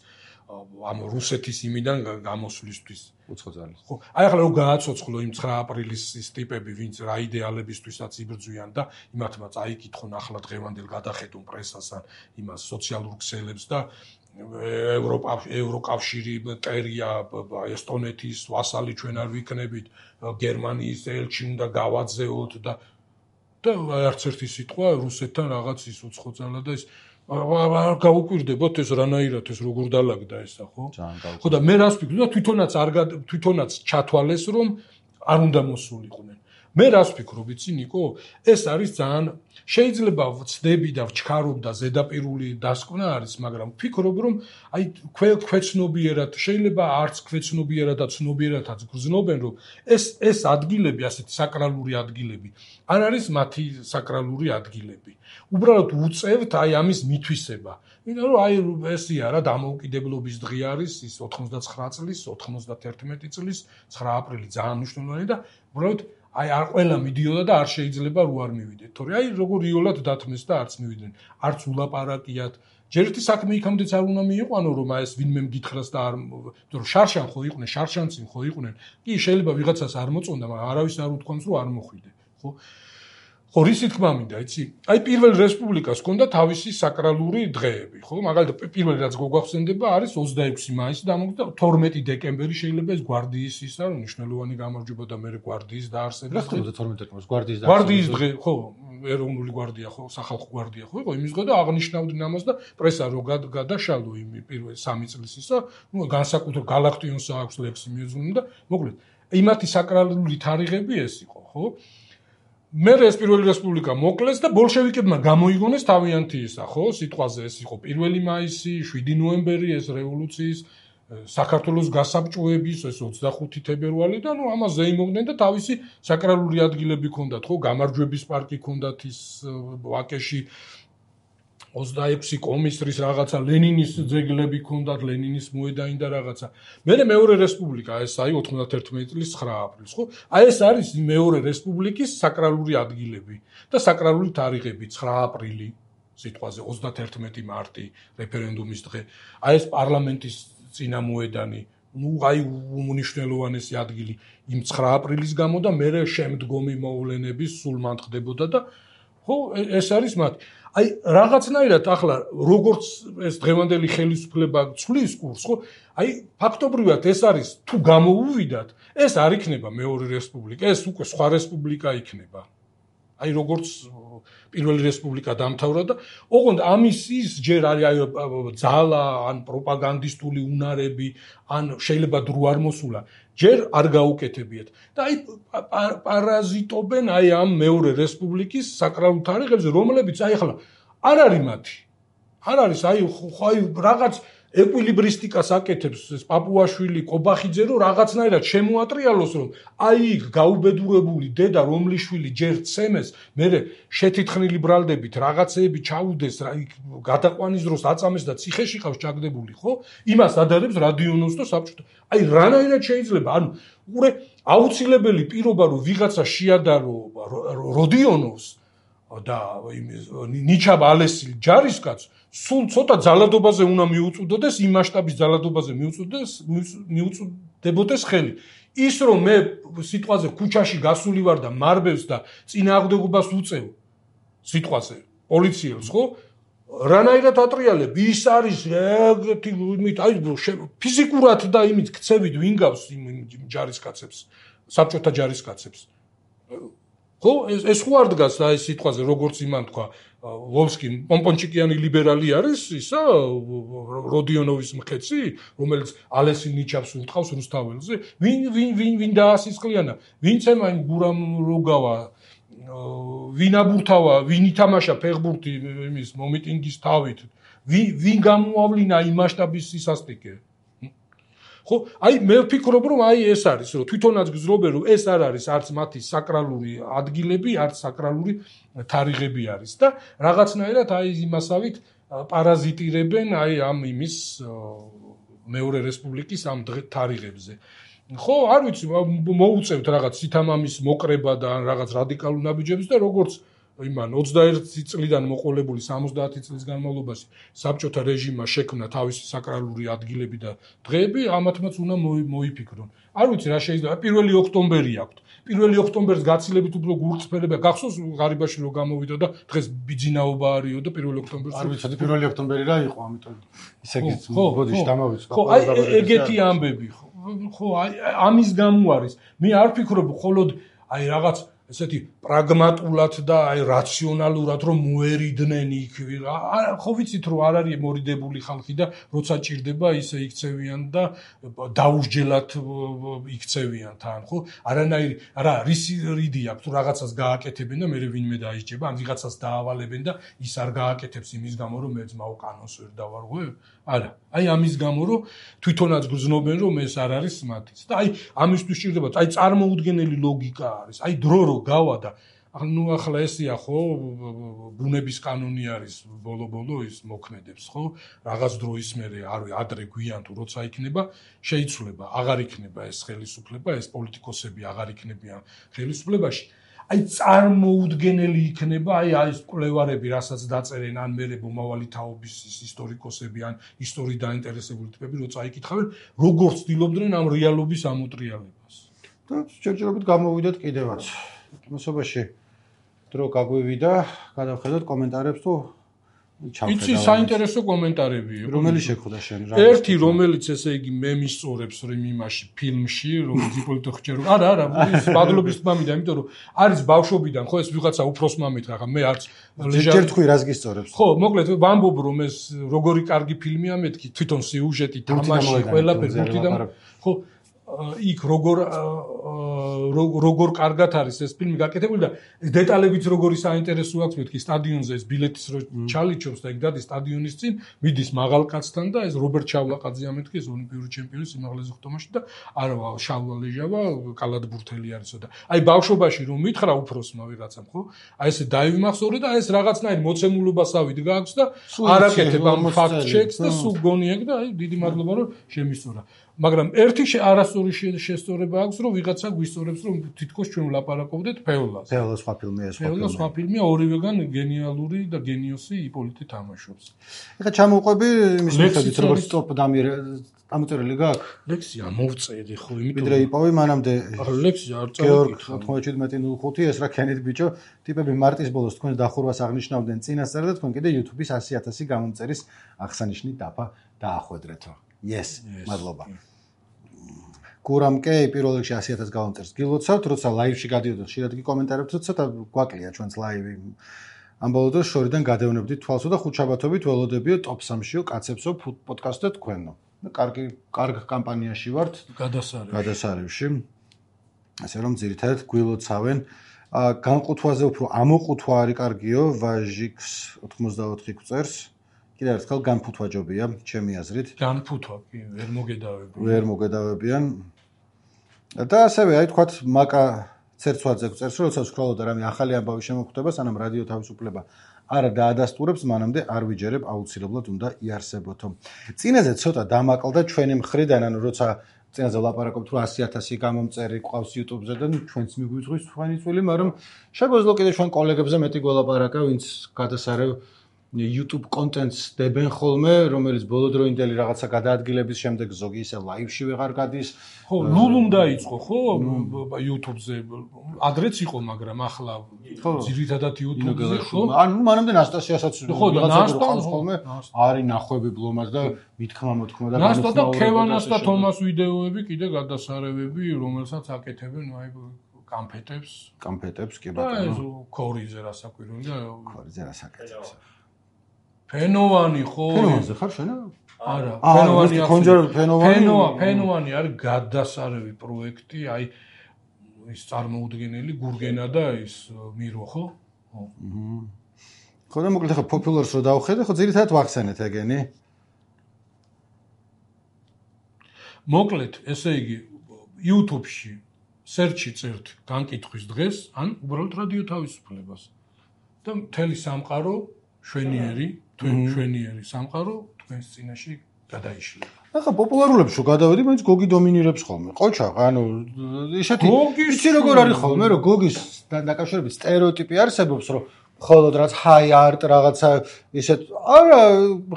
ამ რუსეთის იმიდან გამოსვლისთვის უცხოძალის ხო აი ახლა რო გააცოცხლო იმ 9 აპრილის ის ტიპები ვინც რა იდეალებისთვისაც იბრძვიან და იმათმა წაიკითხონ ახლა დღევანდელ გადახედონ პრესას ან იმას სოციალურ ქსელებს და ევროკავშირი ტერია ესტონეთის ვასალი ჩვენ არ ვიქნებით გერმანიის ელჩი უნდა გავაძეოთ და არც ერთი სიტყვა რუსეთთან რაღაც ის უცხოძალა და ის არ გაუკვირდებოდ ეს რანაირად ეს როგორ დალაგდა ესა ხო? ხო და მე რას ვფიქრობ და თვითონაც ჩათვალეს რომ არ უნდა მოსულიყვნენ. მე რას ვფიქრობ იცი ნიკო? ეს არის ძალიან შეიძლება ვწდები და ვჩქარობ და ზედაპირული დასკვნა არის, მაგრამ ვფიქრობ რომ აი ქვეცნობიერად შეიძლება არც ქვეცნობიერად და ცნობიერადაც გრძნობენ რომ ეს ადგილები ასეთი საკრალური ადგილები არ არის მათი საკრალური ადგილები. უბრალოდ უწევთ აი ამის მითვისება. იმიტომ რომ აი ესია რა დამოუკიდებლობის დღე არის ის 99 წლის 91 წლის 9 აპრილი ძალიან მნიშვნელოვანი და უბრალოდ აი არ ყველა მიდიოდა და არ შეიძლება რო არ მივიდეთ. თორე აი როგორ იოლად დათმეს და არც მივიდნენ. არც ულაპარაკიათ. ჯერ ერთი საქმე იქამდეც არ უნდა მიიყვანო რომ აი ეს ვინმე მგითხრას და არ რომ შარშან ხო იყვნენ, შარშანცი ხო იყვნენ. კი შეიძლება ვიღაცას არ მოწონდა, მაგრამ არავის არ უთქვამს რომ არ მოხვიდე, ხო? ხო, რისი თქმა მინდა, იცი? აი პირველ რესპუბლიკას ჰქონდა თავისი საკრალური დღეები, ხო? მაგალითად, პირველი რაც გვახსენდება არის 26 მაისი დამოუკიდებლობა და 12 დეკემბერი შეიძლება ეს გვარდიის ისა მნიშვნელოვანი გამარჯვება და მე გვარდიის დაარსება. რა ხდება 12 დეკემბერს გვარდიის გვარდიის დღე, ხო, ეროვნული გვარდია ხო, სახალხო გვარდია ხო იყო იმის დღე და აღნიშნავდნენ ამას და პრესა რო გადაშალო იმ პირველ 3 წლის ისა, ნუ განსაკუთრებით გალაქტიონს აქვს ლექსი მიეძღვნა და მოკლედ იმათი საკრალური თარიღები ეს იყო, ხო? მე ეს პირველი რესპუბლიკა მოკლეს და ბოლშევიკებმა გამოიგონეს თავიანთი ისა, ხო? სიტყვაზე ეს იყო 1 მაისი, 7 ნოემბერი ეს რევოლუციის საქართველოს გასაბჭოების ეს 25 თებერვალი და ნუ ამას ზეიმობდნენ და თავისი საკრალური ადგილები ჰქონდათ, ხო? გამარჯვების პარკი ჰქონდათ ის ვაკეში 26 კომისტრის რაღაცა ლენინის ძეგლები ჰქონდათ, ლენინის მოედანი და რაღაცა. მეორე რესპუბლიკა ეს აი 91 წლის 9 აპრილს, ხო? აი ეს არის მეორე რესპუბლიკის საკრალური ადგილები და საკრალური თარიღები 9 აპრილი სიტყვაზე 31 მარტი რეფერენდუმის დღე. აი ეს პარლამენტის წინამოედანი, ნუ აი უმნიშვნელოვანესი ადგილი იმ 9 აპრილის გამო და მე შემდგომი მოვლენების სულ მანთხდებოდა და ხო ეს არის მათი. აი რაღაცნაირად ახლა როგორც ეს დღევანდელი ხელისუფლება ცვლის კურსს, ხო? აი ფაქტობრივად ეს არის თუ გამოუვიდათ, ეს არ იქნება მეორე რესპუბლიკა, ეს უკვე სხვა რესპუბლიკა იქნება. აი როგორც პირველი რესპუბლიკა დამთავრდა და ოღონდ ამის ის ჯერ არის აი ძალა ან პროპაგანდისტული უნარები ან შეიძლება დრო არ მოსულა ჯერ არ გაუკეთებიათ და აი პარაზიტობენ აი ამ მეორე რესპუბლიკის საკრალულ თარიღებზე რომლებიც აი ახლა არ არის მათი არ არის აი რაღაც ეკვილიბრისტიკას აკეთებს ეს პაპუაშვილი კობახიძე რომ რაღაცნაირად შემოატრიალოს რომ აი იქ გაუბედურებული დედა რომლის შვილი ჯერ ცემეს მე შეთითხნილი ბრალდებით რაღაცეები ჩაუდეს გადაყვანის დროს აწამეს და ციხეში ყავს ჩაგდებული ხო იმას ადარებს რადიონოს და საბჭოთა აი რანაირად შეიძლება ანუ უყურე აუცილებელი პირობა რომ ვიღაცა შეადარო როდიონოს და ნიჩაბ ალესი ჯარისკაც სულ ცოტა ძალადობაზე უნდა მიუწვდოდეს იმ მასშტაბის ძალადობაზე მიუწვდებოდეს ხელი ის რომ მე სიტყვაზე ქუჩაში გასული ვარ და მარბევს და წინააღმდეგობას უწევ სიტყვაზე პოლიციელს ხო რანაირად ატრიალებ ის არის ეგეთი იმით აი ფიზიკურად და იმით ქცევით ვინ გავს იმ ჯარისკაცებს საბჭოთა ჯარისკაცებს ხო ეს ხო არ დგას აი სიტყვაზე როგორც იმან თქვა ვოლსკი პომპონჩიკიანი ლიბერალი არის ისა როდიონოვის მკეცი რომელიც ალესი ნიჩაბს უტყავს რუსთაველზე ვინ დაასისხლიანა ვინ ცემა იმ გურამ როგავა ვინ აბურთავა ვინ ითამაშა ფეხბურთი იმის მომიტინგის თავით ვინ გამოავლინა იმ მასშტაბის სისასტიკე ხო აი მე ვფიქრობ რომ აი ეს არის რომ თვითონაც გზნობენ რომ ეს არ არის არც მათი საკრალური ადგილები არც საკრალური თარიღები არის და რაღაცნაირად აი იმასავით პარაზიტირებენ აი ამ იმის მეორე რესპუბლიკის ამ თარიღებზე ხო არ ვიცი მოუწევთ რაღაც სითამამის მოკრება და რაღაც რადიკალურ ნაბიჯებს და როგორც იმან 21 წლიდან მოყოლებული 70 წლის განმავლობაში საბჭოთა რეჟიმმა შექმნა თავისი საკრალური ადგილები და დღეები ამათმაც უნდა მოიფიქრონ. არ ვიცი რა შეიძლება 1 ოქტომბერი აქვთ. 1 ოქტომბერს გაცილებით უფრო გულწრფელია. გახსოვს ღარიბაში რო გამოვიდა და დღეს ბიძინაობა არისო და 1 ოქტომბერს არ ვიცი 1 ოქტომბერი რა იყო ამიტომ ისე გოდიშ დამავიწყდა. ხო აი ეგეთი ამბები ხო აი ამის გამო არის. მე არ ვფიქრობ მხოლოდ აი რაღაც ესეთი პრაგმატულად და აი რაციონალურად რომ მოერიდნენ იქ ხო ვიცით რომ არ არის მორიდებული ხალხი და როცა ჭირდება ისე იქცევიან და დაუსჯელად იქცევიან თან ხო არანაირი არა რიდი აქვს თუ რაღაცას გააკეთებენ და მე ვინმე დაიჭება ან ვიღაცას დაავალებენ და ის არ გააკეთებს იმის გამო რომ მე ძმაო კანონს ვერ დავარღვე არა აი ამის გამო რომ თვითონაც გრძნობენ რომ ეს არ არის მათიც და აი ამისთვის ჭირდება აი წარმოუდგენელი ლოგიკა არის აი დრო რო გავა და ნუ ახლა ესია ხო ბუნების კანონი არის ბოლო ის მოქმედებს ხო რაღაც დროის მერე ადრე გვიან თუ როცა იქნება შეიცვლება აღარ იქნება ეს ხელისუფლება ეს პოლიტიკოსები აღარ იქნებიან ხელისუფლებაში აი წარმოუდგენელი იქნება აი ეს კვლევარები რასაც დაწერენ ან მერე მომავალი თაობის ისტორიკოსები ან ისტორიით დაინტერესებული ტიპები როცა იკითხავენ როგორ ცდილობდნენ ამ რეალობის ამოტრიალებას და ჯერჯერობით გამოვიდეთ კიდევაც მოსობაში დრო გაგვივიდა, გადავხედოთ კომენტარებს თუ ჩავხედავ. იცი საინტერესო კომენტარებია. რომელი შეხვდა შენ რა? ერთი რომელიც ესე იგი მე მისწორებს რომ იმაში ფილმში რომ დიპოლიტო ხჭერო. არა, ის ბადლობის თმამიდა, იმიტომ რომ არის ბავშვობიდან ხო ეს ვიღაცა უფროს მამით რა, მე არც ჯერ თქვი რას გისწორებს? ხო, მოკლედ ვამბობ რომ ეს როგორი კარგი ფილმია მეთქი, თვითონ სიუჟეტი, თამაში, ყველაფერი ბურთიდან. ხო, იქ როგორ კარგად არის ეს ფილმი გაკეთებული და დეტალებიც როგორი საინტერესო აქვს მეთქი სტადიონზე ეს ბილეთის რო ჩალიჩობს და იქ დადის სტადიონის წინ მიდის მაღალ კაცთან და ეს რობერტ შავლაყაძეა მეთქი ეს ოლიმპიური ჩემპიონი სიმაღლეზე ხტომაში და არა შალვა ლეჟავა კალათბურთელი არისო და აი ბავშვობაში რომ მითხრა უფროსმა ვიღაცამ ხო აი ესე დაივიმახსოვრე და ეს რაღაცნაირი მოცემულობასავით გაქვს და არაკეთებ ამ ფაქტ ჩეკს და სულ გონიაკ და აი დიდი მადლობა რომ შემისწორა მაგრამ ერთი არასწორი შესწორება აქვს რომ ვიღაცა გვისწორებს რომ თითქოს ჩვენ ვლაპარაკობდეთ ფეოლას. ფეოლა სხვა ფილმია ეს. ფეოლა სხვა ფილმია ორივეგან გენიალური და გენიოსი იპოლიტი თამაშობს. ეხლა ჩამოვყვები იმის მიხედვით როგორც ტოპ დამოწერილი გაქვს? ლექსია მოვწერდი ხო იმიტომ ვიდრე იპოვე მანამდე ლექსია არ გეორგ 9705 ეს რა ქენით ბიჭო ტიპები მარტის ბოლოს თქვენ დახურვას აღნიშნავდნენ წინასწარ და თქვენ კიდე YouTube-ის 100,000 გამომწერის აღსანიშნი დაფა დაახვედრეთო. Yes, მადლობა. გურამკე პირველ რიგში 100,000 გამომწერს გილოცავთ, როცა ლაივში გადიოდოთ, ხშირად კი კომენტარებთ, ცოტა გვაკლია ჩვენს ლაივი. ამბოლო დროს შორიდან გადავნებდით თვალსო და ხუთშაბათობით ველოდებიო ტოპ 3-შიო კაცებსო პოდკასტად თქვენო. კარგ კამპანიაში ვართ გადასარევში. ასე რომ ძირითადად გვილოცავენ. განყუთვაზე უფრო ამოყუთვა არის კარგიო, ვაჟიქს 84 გვწერს. კიდევ ერთხელ განფუთვაჯობია, ჩემი აზრით. განფუთვა კი, ვერ მოგედავებიან. და ასევე აი თქვათ მაკა ცერცვაძე გვწერს, რომ როცა ვსკროლობ და რამე ახალი ამბავი შემოხვდება, სანამ რადიო თავისუფლება არა დაადასტურებს, მანამდე არ ვიჯერებ, აუცილებლად უნდა იარსებოთო. წინაზე ცოტა დამაკლდა ჩვენი მხრიდან, ანუ როცა წინაზე ვლაპარაკობთ, რომ 100,000 გამომწერი ყავს YouTube-ზე და ჩვენც მიგვიწვის თქვენი წვილი, მაგრამ შეგვეძლო კიდე ჩვენ კოლეგებზე მეტი გველაპარაკა, ვინც გადასარევ YouTube კონტენტს დებენ ხოლმე, რომელიც ბოლოდროინდელი რაღაცა გადაადგილების შემდეგ ზოგი ისე ლაივში ვეღარ გადის. ხო, ლულუმ დაიწყო, ხო, YouTube-ზე. ადრეც იყო, მაგრამ ახლა ძირითადად YouTube-ზე, ხო? ანუ მანამდე ნასტასიასაც რაღაცა ხოლმე არის ნახვები ბლომას და მithქმა მოთქმა და ნასტა და ქევანას და თომას ვიდეოები კიდე გადასარევები, რომელსაც აკეთებენ აი კამფეტებს კი ბატონო. და ქორიზე რასაკვირველია. ქორიზე რასაკეთებს. ფენოვანი ხო? ფენოვანზე ხარ შენ? არა, ფენოვანი აქვს. ფენოვანი არის გადასარევი პროექტი, აი ის წარმოუდგენელი გურგენა და ის მირო ხო? ხო და მოკლედ ხა პოპულარს რო დავხედე, ხო ძირითადად ვახსენეთ ეგენი. მოკლედ, ესე იგი YouTube-ში search-ი წერთ განკითხვის დღეს, ან უბრალოდ რადიო თავისუფლებას. და მთელი სამყარო შვენიერი სამყარო თქვენს წინაშე გადაიშლება. ახლა პოპულარულებს რო გადავედი, მაინც გოგი დომინირებს ხოლმე. ყოჩა, ანუ ისეთი იცი როგორ არის ხოლმე, რომ გოგის დაკავშირებით სტერეოტიპი არსებობს, რომ მხოლოდ რაც ჰაი არტ რაღაცა ისეთ არა,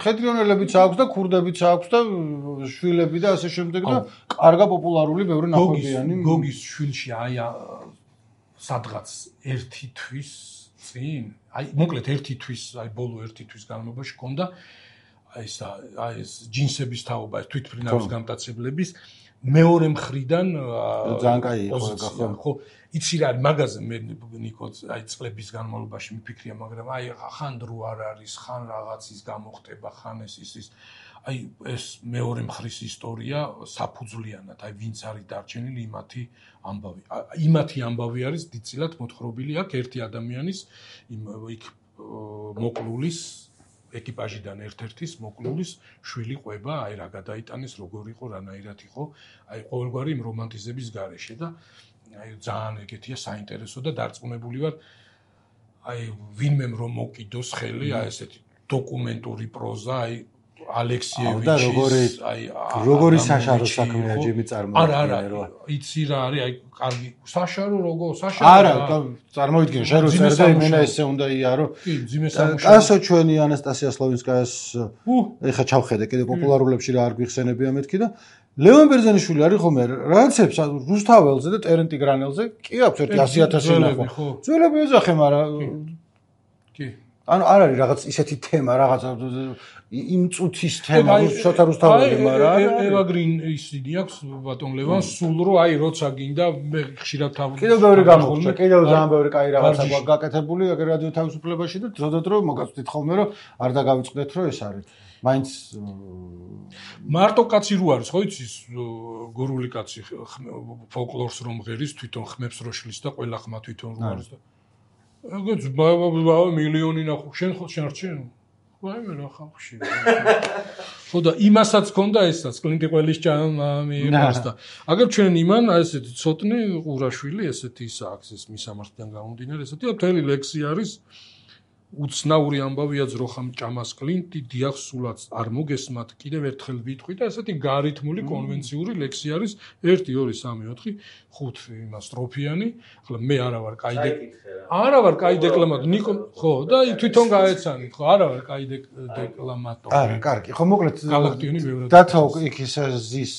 ხედრიონელებიც აქვს და ქურდებიც აქვს და შვილები და ასე შემდეგ და კარგა პოპულარული ბევრი ნახვებიანი. გოგის შვილში აი სადღაც ერთი თვის წინ აი მოკლედ ერთი თვის აი ბოლო ერთი თვის განმავლობაში ჰქონდა აი ეს ჯინსების თაობა ეს თვითმფრინავის გამტაცებლების მეორე მხრიდან ძალიან კაი იყო ხო იცი რა მაგაზე მე ნიკო აი წლების განმავლობაში მიფიქრია მაგრამ აი ხან დრო არ არის ხან რაღაცის გამოხდება ხან ის აი ეს მეორე მხრის ისტორია საფუძვლიანად აი ვინც არის დარჩენილი იმათი ამბავი არის დიდწილად მოთხრობილი აქ ერთი ადამიანის იქ მოკლულის ეკიპაჟიდან ერთ-ერთის მოკლულის შვილი ყვება აი რა გადაიტანეს როგორ იყო რანაირად იყო აი ყოველგვარი იმ რომანტიზების გარეშე და აი ძალიან ეგეთია საინტერესო და დარწმუნებული ვარ აი ვინმემ რომ მოკიდოს ხელი აი ესეთი დოკუმენტური პროზა აი ალექსიევიჩის აი როგორი საშარო საქმეა ჯიმი წარმოიდგინე არა იცი რა არის აი კარგი საშარო როგორ საშარო არა წარმოიდგინე შენ რო წერდა იმენა ესე უნდა იარო კი ძიმე სამუშაო კასო ჩვენი ანასტასია სლოვინსკაიას ეხა ჩავხედე კიდე პოპულარულებში რა არ გვიხსენებია მეთქი და ლევან ბერძენიშვილი არის ხომ რაღაცებს რუსთაველზე და ტერენტი გრანელზე კი აქვს ერთი 100,000 ნახვა. ძველები ეძახე, მაგრამ კი. ანუ არ არის რაღაც ისეთი თემა, რაღაც იმ წუთის თემა, შოთა რუსთაველი, მაგრამ ევაგრინ ისინი აქვს ბატონ ლევან სულ რო აი როცა გინდა მე ხშირად კიდევ ბევრი გამოხდა, კიდევ ძალიან ბევრი კაი რაღაცა გაკეთებული რადიო თავისუფლებაში და დროდადრო მოგაწვდით ხოლმე რომ არ დაგავიწყდეთ რომ ეს არის. მაინც მარტო კაცი რო არის, ხო იცის, გორული კაცი ფოლკლორს რომ ღერის, თვითონ ხმებს რო შლის და ყველა ხმა თვითონ რო არის და ეგეც მილიონი ნახო, შენ ხო შენ ვაიმე რა ხალხში. ხო და იმასაც ქონდა ესაც, კლინტი ყველის მიიღოს და აგერ ჩვენ იმან ესეთი ცოტნე ყურაშვილი ესეთი ის აქვს ეს მისამართიდან გამომდინარე ესეთი და მთელი ლექსი არის უცნაური ამბავია ძროხამ ჭამას კლინტი დიახ სულაც არ მოგესმათ კიდევ ერთხელ ვიტყვი და ესეთი გარითმული კონვენციური ლექსი არის 1 2 3 4 5 იმას სტროფიანი ახლა მე არა ვარ კაი დეკლამატორი ნიკო ხო და თვითონ გაეცანით ხო არა ვარ კაი დეკლამატორი არა კარგი ხო მოკლედ გალაქტიონი ბევრად დათო იქ ის ზის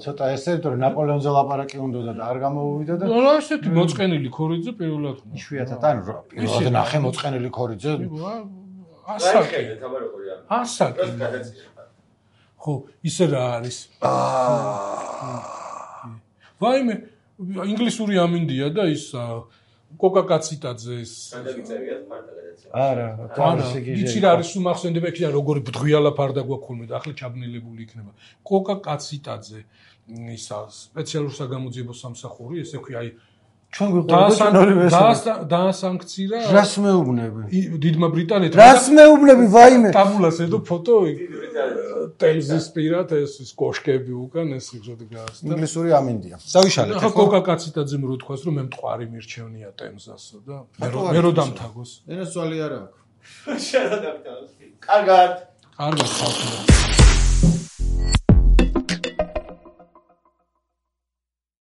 ცოტა ესე რომ ნაპოლეონზე ლაპარაკი უნდა და არ გამოვიდა და რა ესეთი მოწყენილი ქორიძე პირველად იშვიათად ანუ პირველად ნახე მოწყენილი ქორიძე ასაკი ხო ისე რა არის ვაიმე ინგლისური ამინდია და ის კოკა კაციტაძეს არა იცი რა არის უმახსენდება იქ როგორი ბდღვიალა ფარდა გვაქვს ხოლმე და ახლა ჩაბნელებული იქნება კოკა კაციტაძე ისა სპეციალურ საგამოძიებო სამსახური ესე ქვია აი ჩვენ გვიყურებთ დაასანქცირა რას მეუბნები დიდმა ბრიტანეთმა რას მეუბნები ვაიმე ტაბულას ედო ფოტო ტელზის პირად ეს კოშკები უკან ეს ხოდი გასდა ინგლისური ამინდია დავიშალეთ ხო კოკა კაციტაძემ რო თქვას რომ მე მტყვარი მირჩევნია ტემზასო და მე რო დამთაგოს ენას ძვალი არა აქვს შენ რა დამთაგოს კარგად ხალხო